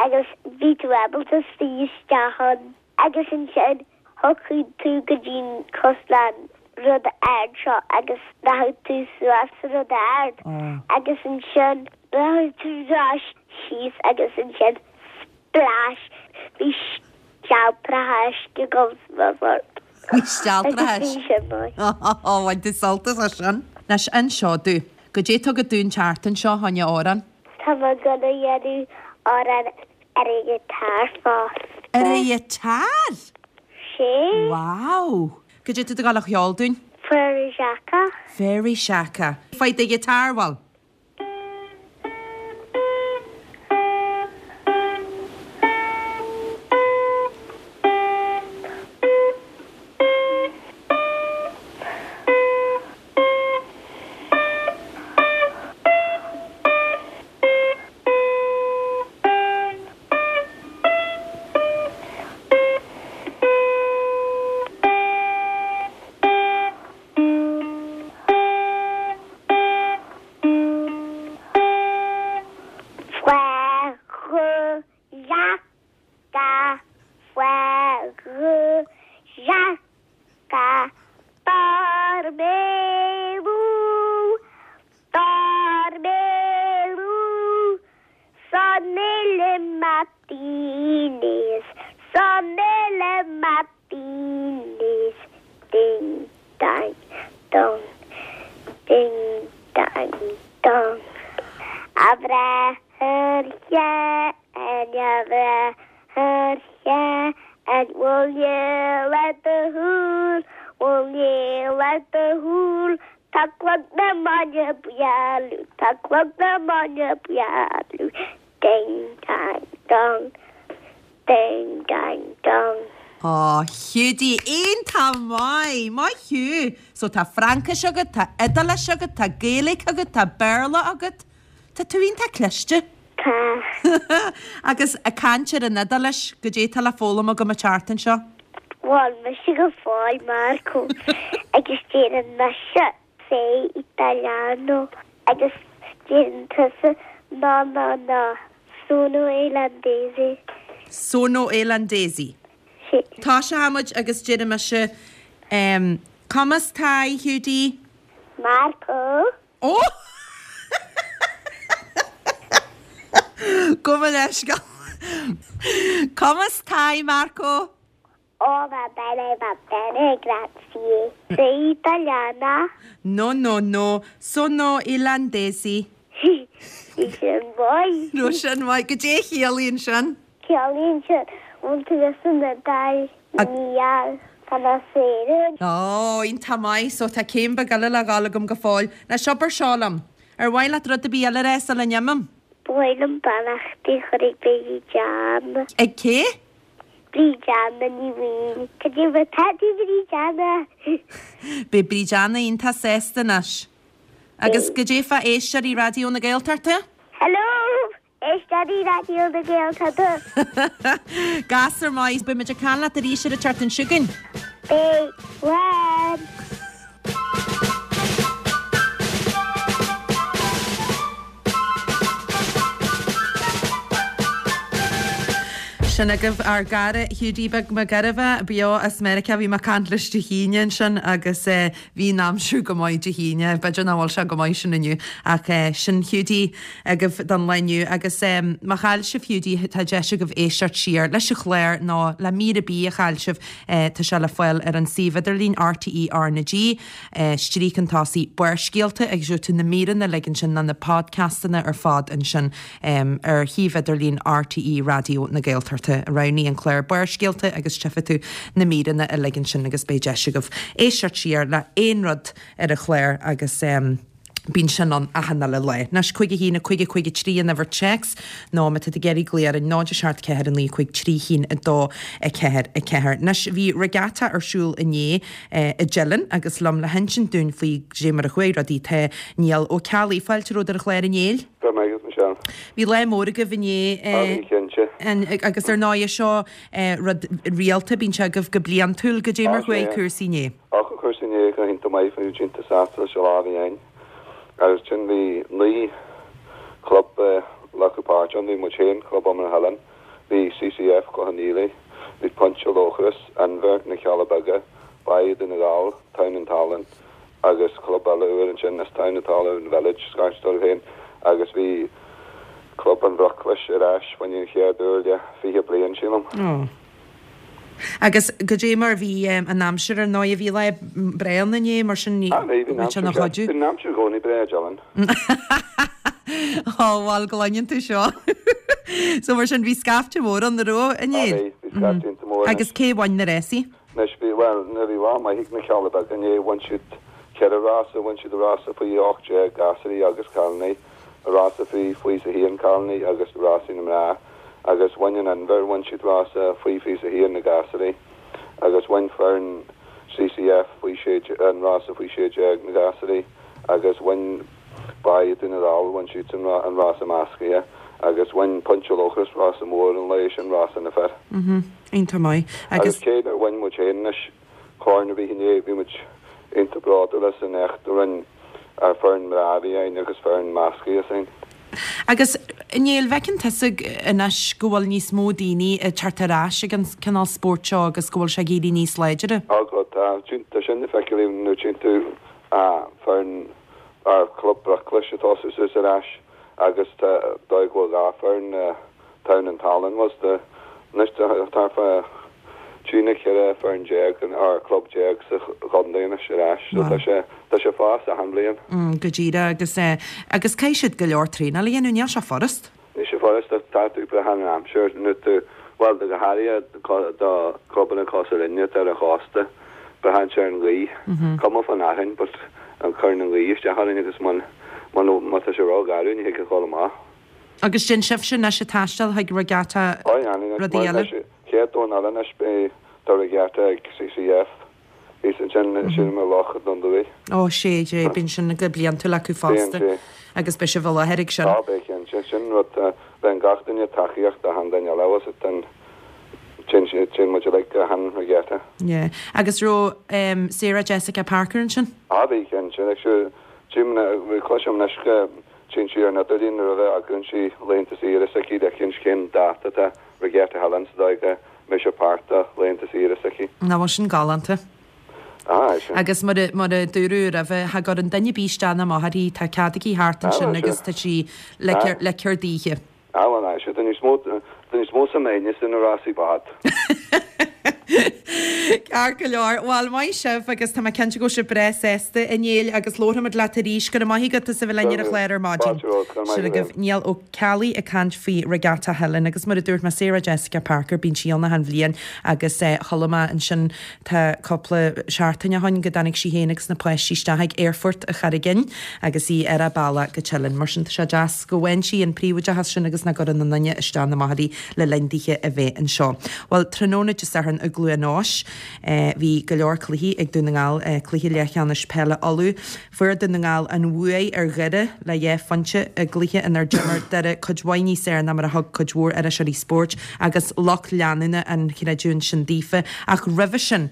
agus bhí tú ábalta suí isteach ann agus ansin thiocfadh tú go dtí an cosúil le an rud ard seo agus rachadh tú suas sa rud ard agus ansin rachadh tú ar ais síos agus ansin splash bhí stealltracha uisce ag dul suas ort. Bhí stealltracha Agus bhí sin maith. Ó, bhain tú sult as sin. Anois inis domh, goidé atá agat dúinn an tseachtain seo, fá choinne amhrán? Tá mé ag dul a dhéanamh amhrán ar an ghiotár fosta. Ar an ghiotár? Sé. Wow! Goidé atá tú ag dul a cheol dúinn? Frère Jacques. Frère Jacques. Faigh do ghiotár, bhuel. Martinez, Sonele Martinez, ding dang dong, ding dang dong. A bhrathair Sheáin, a bhrathair Sheáin, will you let the húl, will you let the húl, Tá clog na mbainne bualadh, tá clog na mbainne bualadh, ding dang dong, ding dang dong. Ó, Hiúdaí, iontach maith, maith thú. So tá Fraincis agat, tá Iodáilis agat, tá Gaeilge agat, tá Béarla agat. Tá tú iontach cliste. Tá. Agus ag caint ar an Iodáilis, goidé tá le foghlaim agam an tseachtain seo? Bhuel, mise go fóill, Marco, agus déanann mise sei italiano agus déanann tusa no no no, sono irlandese. Sono irlandesi. Sí. Tosóidh muid agus déarfaidh mise um, Come stai, Hiúdaí? Marco. Ó! Gabh mo leithscéal. Come stai, Marco? Oh, va bene, va bene, grazie. Sei italiana? No, no, no, sono irlandesi. Bhí sin maith. Raibh sin maith. Goidé a chiallaíonn sin? Ciallaíonn sin, bhfuil tú san Iodáil? Níl, tá mé sa Éirinn. Ó, iontach maith. So tá céim beag eile le dhul agam go fóill. Anois abair seo liom. Ar mhaith leat rud ar bith eile a rá sula n-imím? Ba mhaith liom beannachtaí a chur ag Bríd Anna. Ag cé? Bríd Anna Ní Bhaoill. Cad é mar tá tú Bríd Anna? Beidh Bríd Anna iontach sásta anois. Agus goidé fá éisteoirí Raidió na Gaeltachta? Hello! Éisteoirí Raidió na Gaeltachta! Gasúr maith. Beidh muid ag caint leat arís ar an tseachtain seo chugainn. Beidh. Slán! Sin agaibh ár gcara Hiúdaí Beag Mac Gairbheá, beo as Meiriceá. Bhí mé ag caint leis Dé hAoine ansin agus bhí an aimsir go maith Dé hAoine. B'fhéidir nach bhfuil sé go maith sin inniu ach sin Hiúdaí agaibh don lá inniu. Agus má chaill sibh Hiúdaí tá deis agaibh éisteacht siar leis an chlár nó le mír ar bith a chaill sibh. Tá sé le fáil ar an suíomh idirlín RTE R na G, stríoc chun tosaigh Barrscéalta agus gheobhaidh tú na míreanna uilig ansin nó na podcastanna ar fad ansin ar shuíomh idirlín RTE Raidió na Gaeltachta. Roghnaigh an clár Barrscéalta agus tchífidh tú na míreanna uilig ansin agus beidh deis agaibh éisteacht siar le aon rud ar an chlár agus bíonn sin ann achan uile lá. Anois cúig a haon a cúig a cúig a trí an uimhir téacs nó má tá tú ag iarraidh glaoch orainn náid a seacht ceathair a naoi cúig trí haon a dó a ceathair a ceathair. Anois bhí regatta ar siúl inné i dTeileann agus liom le hinsint dúinn faoi goidé mar a chuaigh rudaí tá Niall Ó Ceallaigh. Fáilte romhat ar an chlár a Néill. Go raibh maith agat, Michelle. Bhí lá mór agaibh inné. Ah, bhí, cinnte. Agus ar ndóigh seo rud rialta, bíonn sé agaibh go bliantúil. Goidé mar chuaigh cúrsaí inné? Á, chuaigh cúrsaí inné go hiontach maith, bhí muid iontach sásta leis an lá a bhí againn. Agus ansin bhí naoi chlub ag glacadh páirt ann, bhí muid féin, Club Iomána Theilinn, bhí CCF Clochán Liath, bhí Pointe Lóchrais, Inbhear, Na Cealla Beaga, Baile Dhún na nGall, Tóin an Tallann agus club eile úr ansin as Tóin an Tallann Village, scairt dóibh féin, agus bhí Club an Bhruclais ar ais fá choinne an chéad uair le fiche bliain, sílim. Ó. Agus goidé mar bhí an aimsir ar ndóigh, bhí lá breá ann inné, mar sin ní Ah, bhí, bhí an raibh sé aimsir ina breá. chuidiú. Bhí an aimsir i gcónaí breá i dTeileann. Ó, bhuel, go gcluineann tú seo. So mar sin bhí scaifte mór ann, an raibh, Ah, inné? bhí, bhí scaifte iontach mór ann. Agus cé bhain na rásaí? Anois bhí, bhuel, nuair bhí lá maith ag na Cealla Beaga inné, bhain siad ceithre rása, bhain siad rása faoi ocht déag, gasúirí agus cailíní, rása faoi fiche a haon, cailíní agus rásaí na mná, agus bhain an Inbhear, bhain siad rása faoi fiche a haon na gasúirí, agus bhain foireann CCF faoi sé, an rása faoi sé déag na gasúirí, agus bhain Baile Dhún na nGall, bhain siadsan an rása meascaithe, agus bhain Pointe Lóchrais rása mór an lae sin, rása na fir. Iontach maith. Agus cé nár bhain muid féin anois corn ar bith inné, bhí muid iontach bródúil as an éacht a rinne ár foireann mná a bhí againn agus foireann meascaithe s'againn. Agus, a Néill, an bhfeiceann tusa anois go bhfuil níos mó daoine ag teacht ar ais ag an cineál spóirt seo agus go bhfuil sé ag éirí níos láidre? Á, go, tá. Tá sin le feiceáil nuair a tchíonn tú foireann ár Club Bruclais ag tosú suas ar ais agus tá dóigh go bhfuil dhá foireann Town and Tallinn was the anois tá fá trí nó ceithre foireann déag or club déag sa chontae anois ar ais so tá sé tá sé fás achan bhliain. Mm, go díreach agus eh, agus caithfidh siad go leor traenáil a dhéanamh, níl sé furast? Níl sé furast ach tá tú braitheann an aimsir nó tú bhuel do go háirithe do clubanna cosúil linne atá ar an chósta braitheann sé ar an ghaoth. Cuma fán fhearthainn but an cuireann an ghaoth isteach orainn agus má má tá sé rógharbh ní thig a dhul amach. Agus sin sibhse anois ag taisteal chuig regatta rudaí eile? Chéad Domhnach eile anois beidh tá regatta ag CCF thíos ansin sin i Loch Dún Lúiche. Ó sé sé bíonn sin go bliantúil acu fosta agus beidh sibh i láthair ag sin. Á beidh cinnte sin rud bheidh gach duine tacaíocht achan duine eile agus an sin sin muid uilig achan regatta. Yeah. Agus raibh Sarah Jessica Parker ansin? Á bhí cinnte like tchím cloisim anois go tchíonn sí ar an idirlíon nuair a bheith againn sí laethanta saoire s'aici le cinnt cén dáta atá Regatta Theilinn sa dóigh go mbeidh sé páirt de laethanta saoire s'aici. Nach bhfuil sin galánta? Ah, sin. Agus mar a mar a dúradh roimhe, cha gcuireann duine ar bith isteach ná amach uirthi, tá cead aici thart ansin agus tá sí le le cur daoithe. Ah, bhuel, aye, tá níos mó tá níos mó suim againne sna rásaí bád. Ceart go leor. Bhuel, maith sibh agus tá mé cinnte go bhfuil sibh breá sásta a Néill agus labharfaimid leat arís. Go raibh maith agat as a bheith linn ar an chlár ar maidin. Fáilte romhat, go raibh maith Sin agaibh agat. Niall Ó Ceallaigh ag caint faoi Regatta Theilinn agus mar a dúirt mé Sarah Jessica Parker bíonn sí ann achan bhliain agus eh, chuala mé ansin tá cúpla seachtain ó shin go dtáinig sí féin agus na páistí isteach ag aerfort an Charraig Fhinn agus í ar a bealach go Teileann. Mar sin tá sé deas go bhfaigheann sí an príobháideachas sin agus nach gcuireann aon duine isteach ná amach uirthi le linn dithe a bheith anseo. Bhuel, tráthnóna Dé Sathairn i gCluain Eois, bhí go leor cluichí ag Dún na nGall, cluiche leathcheannais peile Uladh. Fuair Dún na nGall an bhuaidh ar Dhoire le dhá phointe i gcluiche inar d'imir Doire cuid mhaith níos fearr ná mar a thug cuid mhór iriseoirí spóirt agus lucht leanúna an chreidiúint sin daofa. Ach roimhe sin,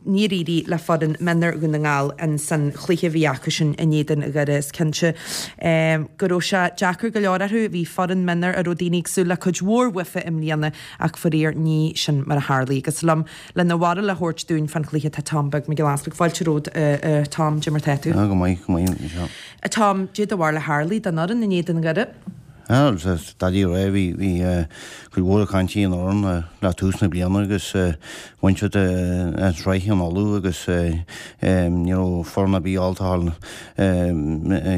níor éirigh le foireann mionúir Dhún na nGall in san chluiche a bhí acusan in éadan Dhoire. Is cinnte go raibh sé deacair go leor orthu. Bhí foireann mionúir a raibh daoine ag súil le cuid mhór uafa i mbliana ach faraor ní sin mar a tharlaigh. Agus liom lena bharúil a thabhairt dúinn fán chluiche tá Tom Beag Mac Giolla Easpaig. Fáilte romhat a Tom, cad é mar tá tú? Go maith, go maith. A Tom, cad é do bharúil a tharlaigh don fhoireann in éadan Dhoire? Daidí ré bhí bhí cuid mhór cainte ar an fhoireann le tús na bliana agus bhain siad an tsraith in Uladh agus ní raibh foireann ar bith ábalta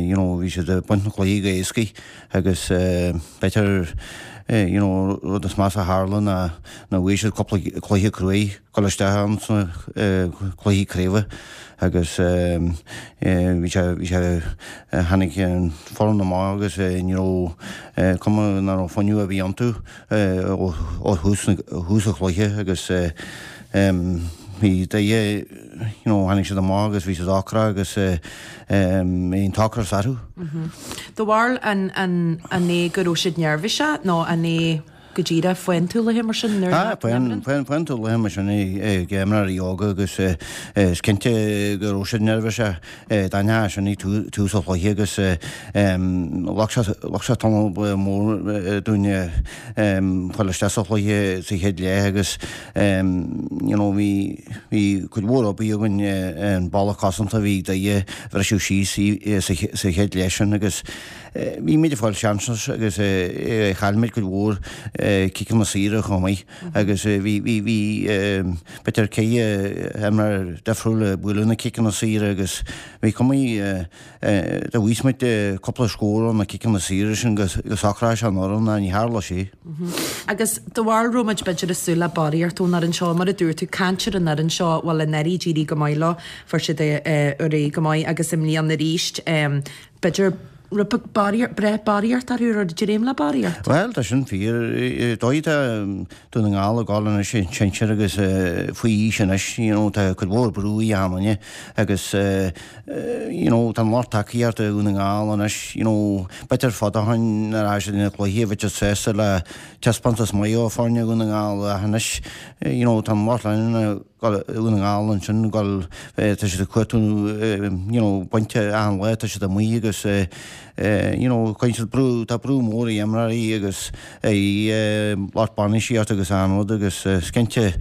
you know bhí siad ag baint na cluichí go héascaí agus b'fhéidir you know rud is measa a tharla ná ná bhuaigh siad cúpla cluiche cruaidh dul isteach ann sna cluichí craoibhe agus bhí sé bhí sé tháinig an foireann amach agus ní raibh cuma nach raibh fuinneamh ar bith iontu ó thús thús an chluiche agus bhí Doire you know tháinig siad amach agus bhí siad ocrach agus bhí an t-ocras orthu. Do bharúil an an an é go raibh siad neirbhíseach nó an é go díreach faoin tuaithe mar sin nuair Ah, faoin faoin faoin tuaithe mar sin ag imreoirí óga agus is cinnte go raibh siad neirbhíseach d'aithneofá sin ag tús an chluiche agus ghlac sé ghlac sé tamall mór dúinn fáil isteach sa chluiche sa chéad leath agus you know bhí bhí cuid mhór obair againn an balla cosanta a bhí ag Doire a bhriseadh síos sa chéad leath sin agus bhí muid ag fáil seansanna agus chaill muid cuid mhór ciceanna saora chomh maith agus bhí bhí bhí b'fhéidir ceithre imreoir difriúil ag bualadh na ciceanna saora agus bhí cuma dá bhfaigheadh muid cúpla scór ó na ciceanna saora sin go go socródh sé an fhoireann ach ní tharla sé. Agus do bharúil raibh muid b'fhéidir ag súil le barraíocht ón fhoireann seo mar a dúirt tú caint ar an fhoireann seo bhuel anuraidh d'éirigh go maith leo fuair siad ar aghaidh go maith agus i mbliana arís b'fhéidir raibh breith barraíocht orthu ar dréim le barraíocht? Bhuel, tá sin fíor. Dóigh tá Dún na nGall ag dul anois i sinsir agus faoi aois anois, you know, tá cuid mhór brú ar achan duine agus you know, tá an lucht tacaíochta Dhún na nGall anois, you know, b'fhéidir fad ó shin nuair a siad na cluichí bheadh siad sásta le taispeántas maith ó foirne Dhún na nGall ach anois, you know, tá an lucht leanúna Dhún na nGall ansin go tá siad ag cuartú you know, pointe achan lá tá siad amuigh agus you know, cuireann siad brú tá brú mór ar imreoirí agus ar lucht bainistíochta agus an rud agus is cinnte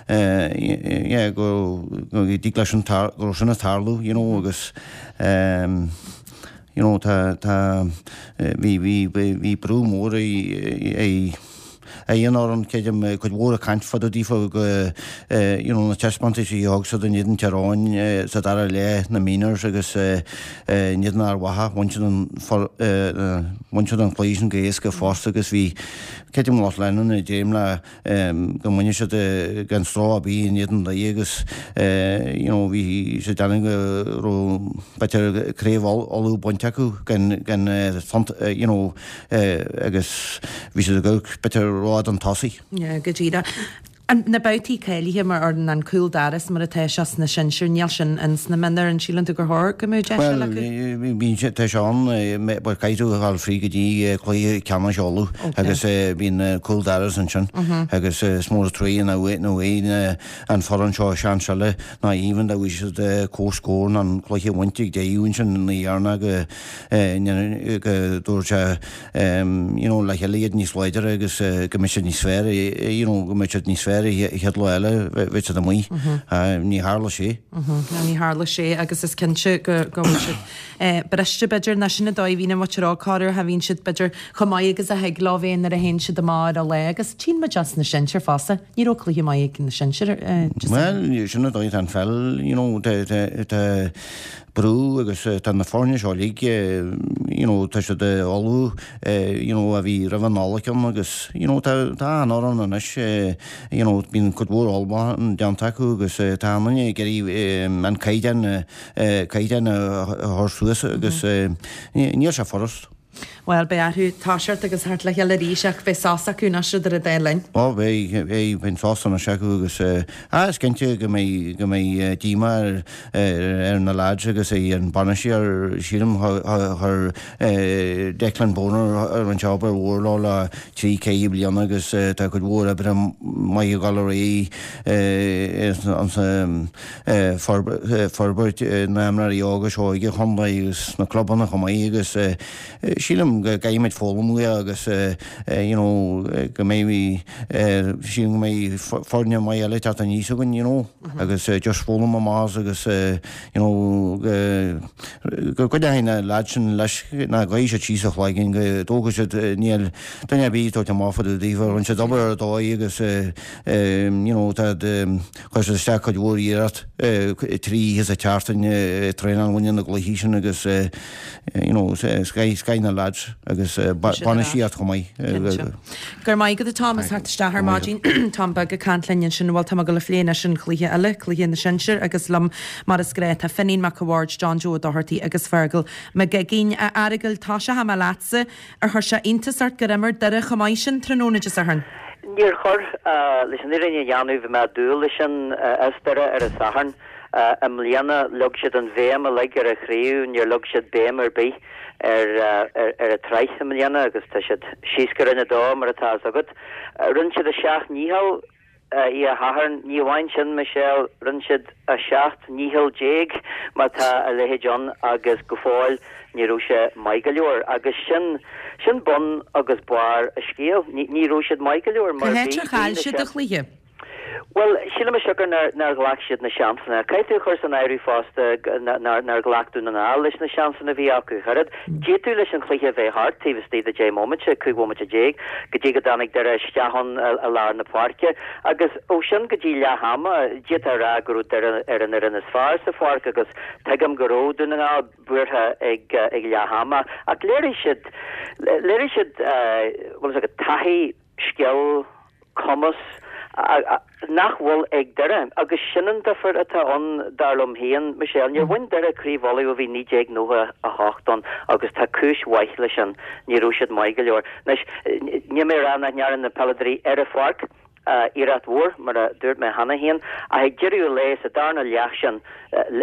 yeah, go go dtig leis sin go raibh sin ag tarlú you know, agus um, you know, tá tá bhí bhí bhí brú mór ar Aon fhoireann, creidim, cuid mhór ag caint fá dtaobh daofa go you know na taispeántais a thug siad in éadan Tír Eoghain sa dara leath, na minors agus in éadan Ard Mhacha, bhain siad an bhain siad an cluiche sin go héasca fosta agus bhí, creidim, lucht leanúna ag dréim le go mbainfeadh siad gan stró ar bith in éadan Doire agus you know bhí siad ag déanamh go raibh b'fhéidir craobh Uladh bainte acu gan gan you know agus bhí siad ag amharc b'fhéidir rófhada chun tosaigh. Yeah, go díreach. Na babhtaí cáilithe mar fhoireann an cúl doras mar atá sé sna sinsir, níl sin ins na mionúir, an síleann tú gur chóir go mbeadh deis eile acu? Bhuel, bíonn sé, tá sé ann, bhuel caithfidh tú a dhul fríd go dtí cluiche ceannais Uladh agus bíonn cúl doras ansin agus is mór an truaighe nach bhfaighidh an foireann seo seans eile ná even dá bhfaighidh siad comhscór ná an cluiche a bhaint ag deireadh ansin ina dheireanach go go dtabharfaidh sé you know le chéile iad níos láidre agus go mbeidh siad níos fearr you know go mbeidh siad níos fearr an chéad lá eile bheidh siad amuigh. Ní tharla sé. Ní tharla sé agus is cinnte go go bhfuil siad briste b'fhéidir ná sin an dóigh a bhíonn an mhuintir óg corruair cha bhíonn siad b'fhéidir chomh maith agus a thig leo bheith nuair a théann siad amach ar an lá agus tchíonn muid as na sinsir fosta. Ní raibh cluiche maith ag na sinsir. Bhuel sin an dóigh atá an pheil you know tá brú agus tá na foirne seo uilig you know tá siad ullamh you know a bhí roimh an Nollaig ann agus you know tá tá an fhoireann anois you know bíonn cuid mhór ullmhúchán déanta acu agus tá an duine ag iarraidh an caighdeán caighdeán a chur suas agus níl sé furast. Bhuel, beidh orthu toiseacht agus theacht le chéile arís ach beidh sos acu anois idir an dá linn. Ó beidh, beidh, beidh sos anois acu agus ah is cinnte go mbeidh, go mbeidh díomá ar, ar na lads agus ar an bainisteoir, sílim chuir Declan Bonner rinne sé obair mhór leo le trí, ceithre bliana agus tá cuid mhór oibre maith ag dul ar aghaidh ansan forbairt na n-imreoirí óga seo ag an chontae agus sna clubanna chomh maith agus sílim go gcaithfimid foghlaim uaidh agus you know go mbeidh sílim go mbeidh foirne maith eile ag teacht aníos againn you know agus just foghlaim amach as agus you know go gcoinneoidh na lads sin leis nach gcaithfidh siad síos a chloigeann go dtógfaidh siad níl duine ar bith ag tabhairt amach fá dtaobh daofa rinne siad obair ar dóigh agus you know tá chuir siad isteach cuid mhór iarracht trí oíche sa tseachtain traenáil i ndiaidh na gcluichí sin agus you know scaith na lads agus bainistíocht chomh maith. Cinnte. Go raibh maith agat a Tom as theacht isteach ar maidin. Tom Beag ag caint linn ansin. Bhuel tá mé ag dul a phlé anois an cluiche eile, cluiche na sinsear agus liom mar is gnách tá Finín Mac a' Bhaird, John Joe Ó Dochartaigh agus Fergal Mac Uiginn. A Fheargail, toiseoidh mé leatsa. Ar chuir sé iontas ort gur imir Doire chomh maith sin tráthnóna Dé Sathairn? Níor chuir. Leis an fhírinne a dhéanamh bhí mé ag dúil leis sin as Doire ar an Satharn. I mbliana leag siad an bhéim uilig ar an chraobh, níor leag siad béim ar bith ar ar an tsraith i mbliana agus tá siad síos go Roinn a Dó mar atá fhios agat. Rinne siad a seacht ndícheall oíche Shathairn, ní amháin sin Michelle, rinne siad a seacht ndícheall déag má tá a leithéid ann agus go fóill ní raibh sé maith go leor agus sin sin bun agus barr an scéil, ní raibh siad maith go leor mar bhí, Cá háit ar chaill siad an cluiche? Bhuel, sílim a siocair nár ghlac siad na seansanna. Caithfidh tú a chur san áireamh fosta nár ghlac Dún na nGall leis na seansanna a bhí acu. Cha raibh. D'fhéadfadh leis an chluiche a bheith thart taobh istigh de deich mbomaite, cúig bhomaite déag, go dtí go dtáinig Doire isteach ann i lár na páirce. Agus ó sin go dtí leath ama, d'fhéadfá a rá go raibh Doire ar an fhoireann is fearr sa pháirc agus tuigim go raibh Dún na nGall buartha ag leath ama. Ach léirigh siad, léirigh siad, bhfuil fhios agat, taithí, scil, cumas nach bhfuil ag Doire agus sin an difear atá ann dar liom féin, Michelle. Níor bhain Doire Craobh Uladh ó bhí naoi déag nócha a hocht ann agus tá cúis mhaith leis sin, ní raibh siad maith go leor. Anois, níl mé ag rá nach ndearna na peileadóirí ar an pháirc iarracht mhór, mar a dúirt mé cheana féin, ach ag deireadh an lae, sa darna leath sin,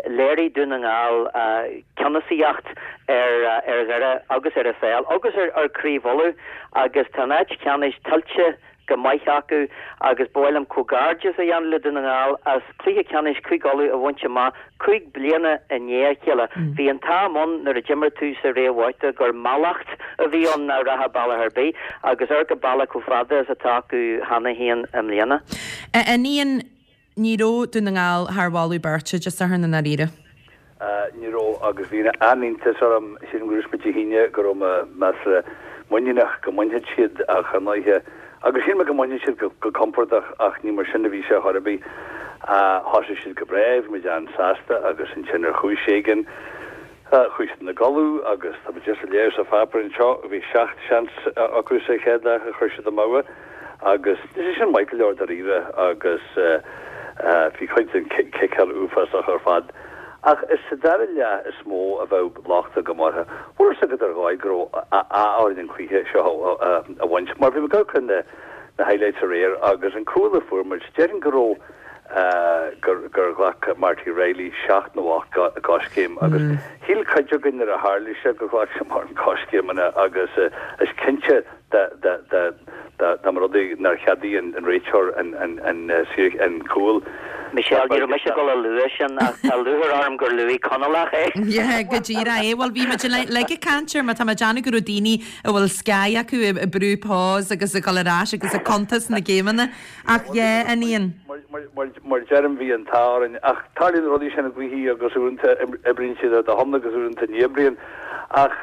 léirigh Dún na nGall ceannasaíocht ar ar Dhoire agus ar an pheil agus ar ar Chraobh Uladh agus tá an áit ceannais tuillte go maith acu agus ba mhaith liom comhghairdeas a dhéanamh le Dún na nGall as cluiche ceannais Chúige Uladh a bhaint amach cúig bliana i ndiaidh a chéile. Bhí an t-am ann nuair a d'imir tú sa réamhbhabhta gur mallacht a bhí ann nach rachfá bealach ar bith agus amharc an bealach chomh fada is atá acu cheana féin i mbliana. A Fhinian, ní raibh Dún na nGall thar mholadh beirte Dé Sathairn i ndáiríre. Ní raibh, agus bhí an-iontas orm, sílim gur dúirt muid Dé hAoine go raibh mé measartha muiníneach go mbainfeadh siad ach ar ndóighe Agus shíl mé go mbainfeadh siad go compordach ach ní mar sin a bhí sé chor ar bith. Thosaigh siad go breá, bhí muid an-sásta agus ansin ar chúis éigin chuaigh siad ina gcodladh agus tá muid just ag léamh sa pháipéar anseo, bhí seacht seans acu sa chéad leath a chuir siad amú agus níl sé sin maith go leor dáiríre agus bhí cuid den chiceáil uafásach ar fad. Ach is sa dara leath is mó a bheadh locht agam orthu. Bhfuil fhios agat ar dhóigh go raibh ádh orainn an cluiche seo a bhaint, mar bhí mé ag amharc ar na highlights aréir agus an cúl a fuair muid, déarfainn go raibh gur gur ghlac Marty Reilly seacht nó ocht gcoiscéim agus shíl cuid againn nuair a tharla sé gur ghlac sé mórán coiscéimeanna agus is cinnte dá mba rud é nár cheadaigh an réiteoir an cúl. Michelle, ní raibh mise ag dul a lua sin ach tá lúcháir orm gur luaigh Conallach é. Yeah, go díreach é. Bhuel, bhí muid uilig ag caint air mar tá mé ag déanamh go raibh daoine a bhfuil Sky acu ag brú pause agus ag dul ar ais agus ag cuntas na géimeanna. Ach yeah, an Ian. Mar deirim bhí an t-ádh orainn ach tarlaíonn rudaí sin i gcluichí agus uaireanta oibríonn siad ar do shon agus uaireanta ní oibríonn. Ach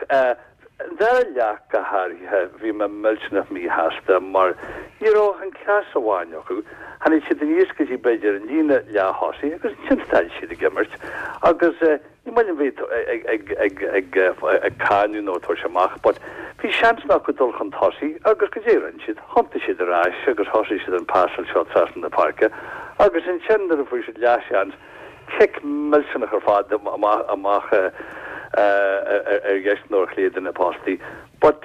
An dara leath go háirithe, bhí mé millteanach míshásta mar ní raibh ach an cleas amháin acu. Tháinig siad aníos go dtí b'fhéidir an líne leath-thosaigh agus ansin stad siad ag imirt agus ní maith liom bheith ag cáineadh nó ag tabhairt amach but bhí seans acu dul chun tosaigh agus goidé a rinne siad? Thiontaigh siad ar ais agus thosaigh siad an pasáil seo trasna na páirce agus ansin nuair a fuair siad leathsheans, cic millteanach ar fad amach ar dheis nó ar chlé de na postaí. But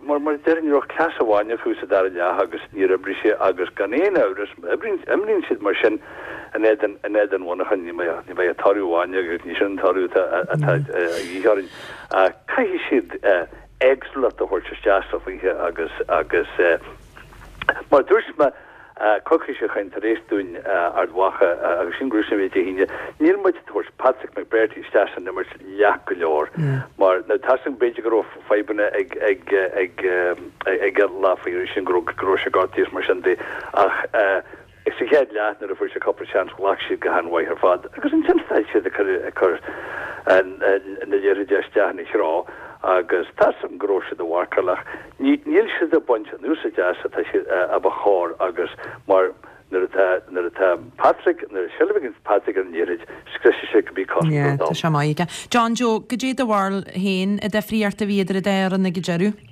mar mar a deirim ní raibh cleas amháin acu sa dara leath agus níor oibrigh sé agus gan aon amhras má imríonn siad mar sin in éadan in éadan Mhuineacháin ní bheidh ní bheidh toradh amháin agus ní sin an toradh atá atá a dhíth orainn. Caithfidh siad éagsúlacht a thabhairt isteach sa chluiche agus agus mar a dúirt mé Coicís ó shin tar éis dúinn Ard Mhacha agus sin go raibh Dé hAoine, níl muid ag tabhairt Patrick McBrearty isteach san imirt leath go leor mar now tá a fhios agam b'fhéidir go raibh fadhbanna ag ag ag ag an lá faoi sin go raibh go raibh sé gortaithe is mar sin de ach sa chéad leath nuair a fuair sé cúpla seans ghlac siad go han-mhaith ar fad agus ansin stad siad ag cur ag cur na liathróide isteach ina threo agus tá a fhios agam go raibh siad ag marcáil ach níl siad ag baint an úsáid as atá siad a ba chóir agus mar nuair atá nuair atá Patrick nuair a seilbh ag Patrick ar an liathróid scriosfaidh sé cibé Yeah, cosantóir tá dom. sé maith aige. John Joe, goidé do bharúil féin an difríocht a bhí idir an dá fhoireann ag an deireadh?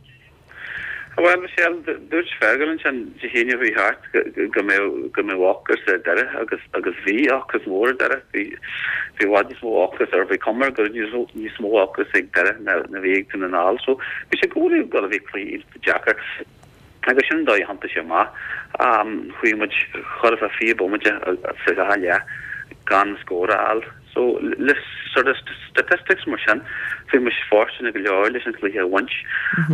Bhuel, Michelle, dúirt Fergal ansin Dé hAoine a bhí thart go mbeadh go mbeadh ocras ar Doire agus agus bhí ocras mór ar Doire. Bhí bhí i bhfad níos mó ocras ar bhí cuma go raibh níos níos mó ocras ag Doire ná ná bhí ag Dún na nGall. So bhí sé go bhfuil go bhí cluiche iontach deacair. Agus sin an dóigh a thiontaigh sé amach. Chuaigh muid chóir a bheith fiche bomaite sa dhá leath gan scór a fháil. So le sort of statistics mar sin, bhí muid fóirsteanach go leor leis an chluiche a bhaint.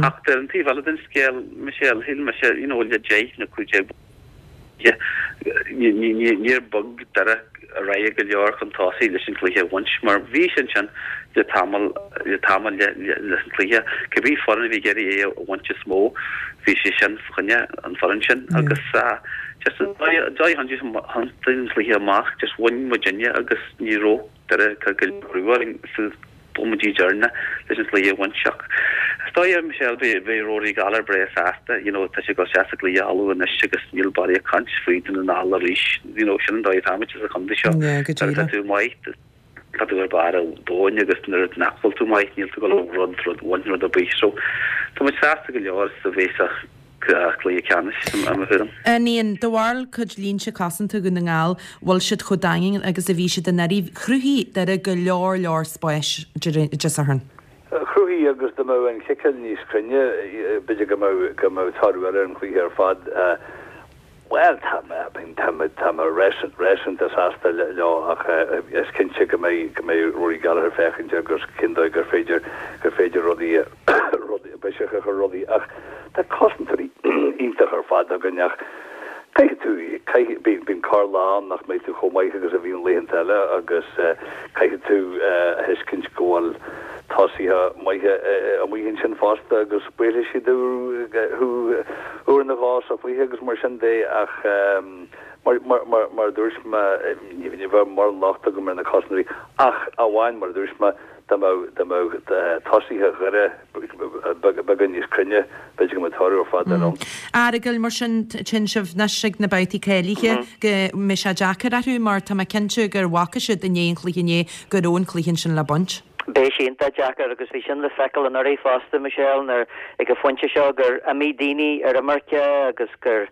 Ach ar an taobh eile den scéal, Michelle, shíl mise, you know, le deich nó cúig déag níor bhog Doire ar aghaidh go leor chun tosaigh leis an chluiche a bhaint mar bhí sé ansin le tamall le tamall le leis an chluiche. Cibé foireann a bhí ag iarraidh é a bhaint is mó, bhí sé sin fá choinne an foireann sin agus just an dóigh a thiontaigh an cluiche amach, just bhain muidinne agus ní raibh Doire ag cur go leor brú orainn sna bomaití deireanacha leis an chluiche a bhaint. Ach is dóigh, Michelle, beidh Rory Gallagher breá sásta, you know, tá sé ag dul isteach sa gcluiche Uladh anois agus níl barraíocht caint faoi Dún na nGall arís, you know, sin an dóigh atáimid sa chontae seo. Yeah, go Nuair atá díreach. tú maith, tá tú ar barr an domhain agus nuair nach bhfuil tú maith, níl tú ag dul rud, rud, bhaint rud ar bith. So, tá muid sásta go leor sa bheith sa chluiche ceannais, i mo thuairim. An Ian, do bharúil cuid línte cosanta Dhún na nGall, bhfuil siad chomh daingean agus a bhí siad anuraidh? Chruthaigh Doire go leor leor spáis Dé Sathairn. Chruthaigh agus dá mbeadh an chiceáil níos cruinne, b'fhéidir go mbeadh go mbeadh toradh eile ar an chluiche ar fad. Bhuel, tá mé, I mean, tá mé, tá mé réasúnta sásta leo ach is cinnte go mbeidh, go mbeidh Rory Gallagher ag féachaint agus cén dóigh gur féidir, gur féidir rudaí, rudaí, biseach a chur ar rudaí ach tá cosantóirí iontach ar fad againn ach caithfidh tú, caithfidh, bíonn, bíonn corr-lá ann nach mbeidh tú chomh maith agus a bhíonn laethanta eile agus caithfidh tú a thuiscint go bhfuil tosaithe maithe amuigh ansin fosta agus buailfidh siad thú uair nó dhó sa chluiche agus mar sin de ach mar, mar, mar, mar a dúirt mé, ní bheadh mórán locht agam ar na cosantóirí ach amháin mar a dúirt mé, dá mbeadh dá mbeadh tosaithe Dhoire beagán níos cruinne, b'fhéidir go mbeadh toradh ar fad eile ann. A Fhearghail, mar sin, tchíonn sibh anois ag na babhtaí cáilithe go mbeidh sé deacair orthu mar tá mé cinnte gur bhfaca siad i ndiaidh an chluiche inné go raibh an cluiche ansin le baint. Beidh sé iontach deacair agus bhí sin le feiceáil anuraidh fosta, Michelle, nuair ag an phointe seo gur imigh daoine ar imirce agus gur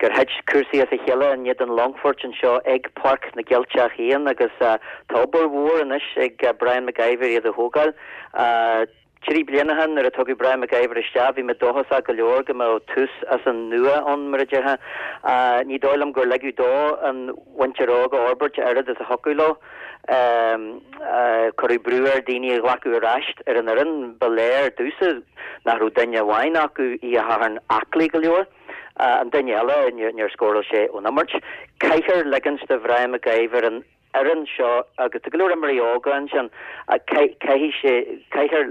gur thit cúrsaí as a chéile in éadan Longfoirt anseo ag Páirc na gCeilteach féin agus tá obair mhór anois ag Brian McIver iad a thógáil. Trí bliana ó shin nuair a tugadh Brian McIver isteach bhí mé dóchasach go leor go mbeadh tús as an nua ann mar a déarfá. Ní dóigh liom gur ligeadh dó an mhuintir óg a fhorbairt a oiread is a thiocfadh leo. Cuireadh brú air daoine a ghlacadh ar ais ar an fhoireann. Ba léir domhsa nach raibh duine amháin acu, Oíche Shathairn, aclaí go leor. An duine eile, níor scóráil sé ón imirt. Caithfear ligint do Bhrian McIver an fhoireann seo, agus tá go leor imreoirí óga ansin, caithfidh sé, caithfear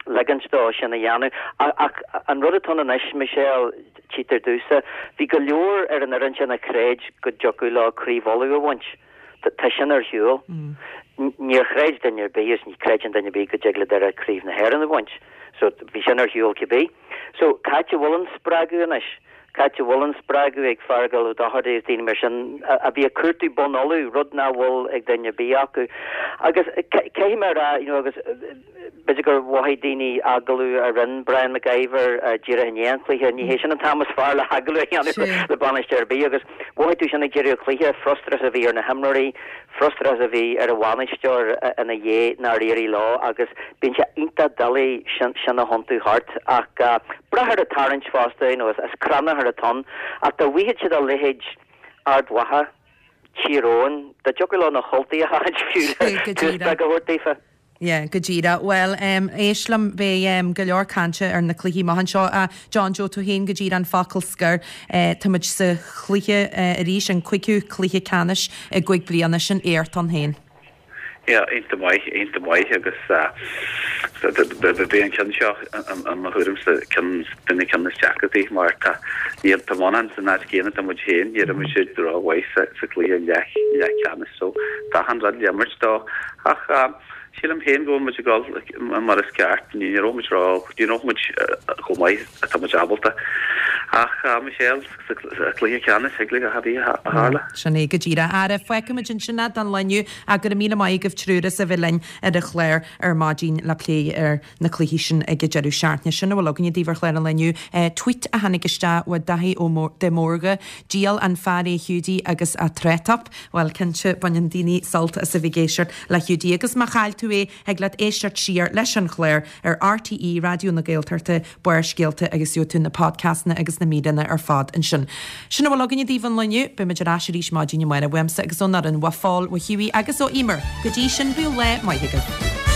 ligint dó sin a dhéanamh. Ach an rud atá ann anois, Michelle, tchítear domhsa, bhí go leor ar an fhoireann sin a chreid go dtiocfadh leo Craobh Uladh a bhaint. Tá sin ar shiúl. Níor chreid duine ar bith, agus ní chreideann duine ar bith go dtig le Doire Craobh na hÉireann a bhaint. So bhí sin ar shiúl cibé. So cá háit a bhfuil an spreagadh anois? Cá háit a bhfuil an spreagadh ag Feargal Ó Dochartaigh agus daoine mar sin a bhí ag cuartú bonn Uladh, rud nach bhfuil ag duine ar bith acu. Agus caithfidh mé a rá, you know, agus b'fhéidir gur mhothaigh daoine agallamh a rinne Brian McIver díreach i ndiaidh an chluiche, ní hé sin an t-am is fearr le hagallamh a dhéanamh le bainisteoir ar bith agus mhothaigh tú sin ag deireadh an chluiche, frustrachas a bhí ar na himreoirí, frustrachas a bhí ar an bhainisteoir ina dhiaidh nár éirigh leo agus bíonn sé iontach doiligh sin sin a thiontú thart ach brath ar an tarraingt fosta, you know, is crannchur atá ann ach dá bhfaigheadh siad a leithéid Ard Mhacha, Tír Eoghain, dá dtiocfadh leo na hUltaigh a sheachaint fiú le tús beag a thabhairt daofa. Yeah, go díreach. Bhuel, em, éist liom, beidh, em, go leor cainte ar na cluichí amach anseo. A John Joe, tú féin go díreach an focal scoir. Eh, tá muid sa chluiche, eh, arís, an cúigiú cluiche ceannais i gcúig bliana, sin éacht ann féin. Yeah, iontach maith, iontach maith agus, eh, beidh an ceann seo, i mo thuairimse, ceann de na cinn is deacrachtaí mar tá, níl, tá Muineachán san áit chéanna atá muid féin, níor imir siad rómhaith sa, sa chluiche leath, leathcheannais so tá achan rud le imirt dó ach, eh, Sílim féin go bhfuil muid ag dul mar is ceart. Ní raibh muid ró, ní raibh muid chomh maith atá muid ábalta. Ach Michelle, sa chluiche ceannais, thig le a bheith a tharla. Sin é go díreach. Ara, fágfaimid ansin é don lá inniu ach go raibh míle maith agaibh triúr as a bheith linn ar an chlár ar maidin le plé ar na cluichí sin ag an deireadh seachtaine. Sin a bhfuil againne daoibh ar chlár an lae inniu. Tweet a tháinig isteach ó Daithí Ó de Mórdha, Diabhal an fear é Hiúdaí agus a tráth-top. Bhuel, cinnte, baineann daoine sult as a bheith ag éisteacht le Hiúdaí agus má chaill tú é, thig leat éisteacht siar leis an chlár ar RTÉ Raidió na Gaeltachta, Barrscéalta agus gheobhaidh tú na podcastanna agus na míreanna ar fad ansin. Sin a bhfuil againne daoibh an lá inniu. Beidh muid ar ais arís maidin amárach uaimse agus ón fhoireann, ó Phól, ó Hughie agus ó Emer. Go dtí sin, bíodh lá maith agaibh.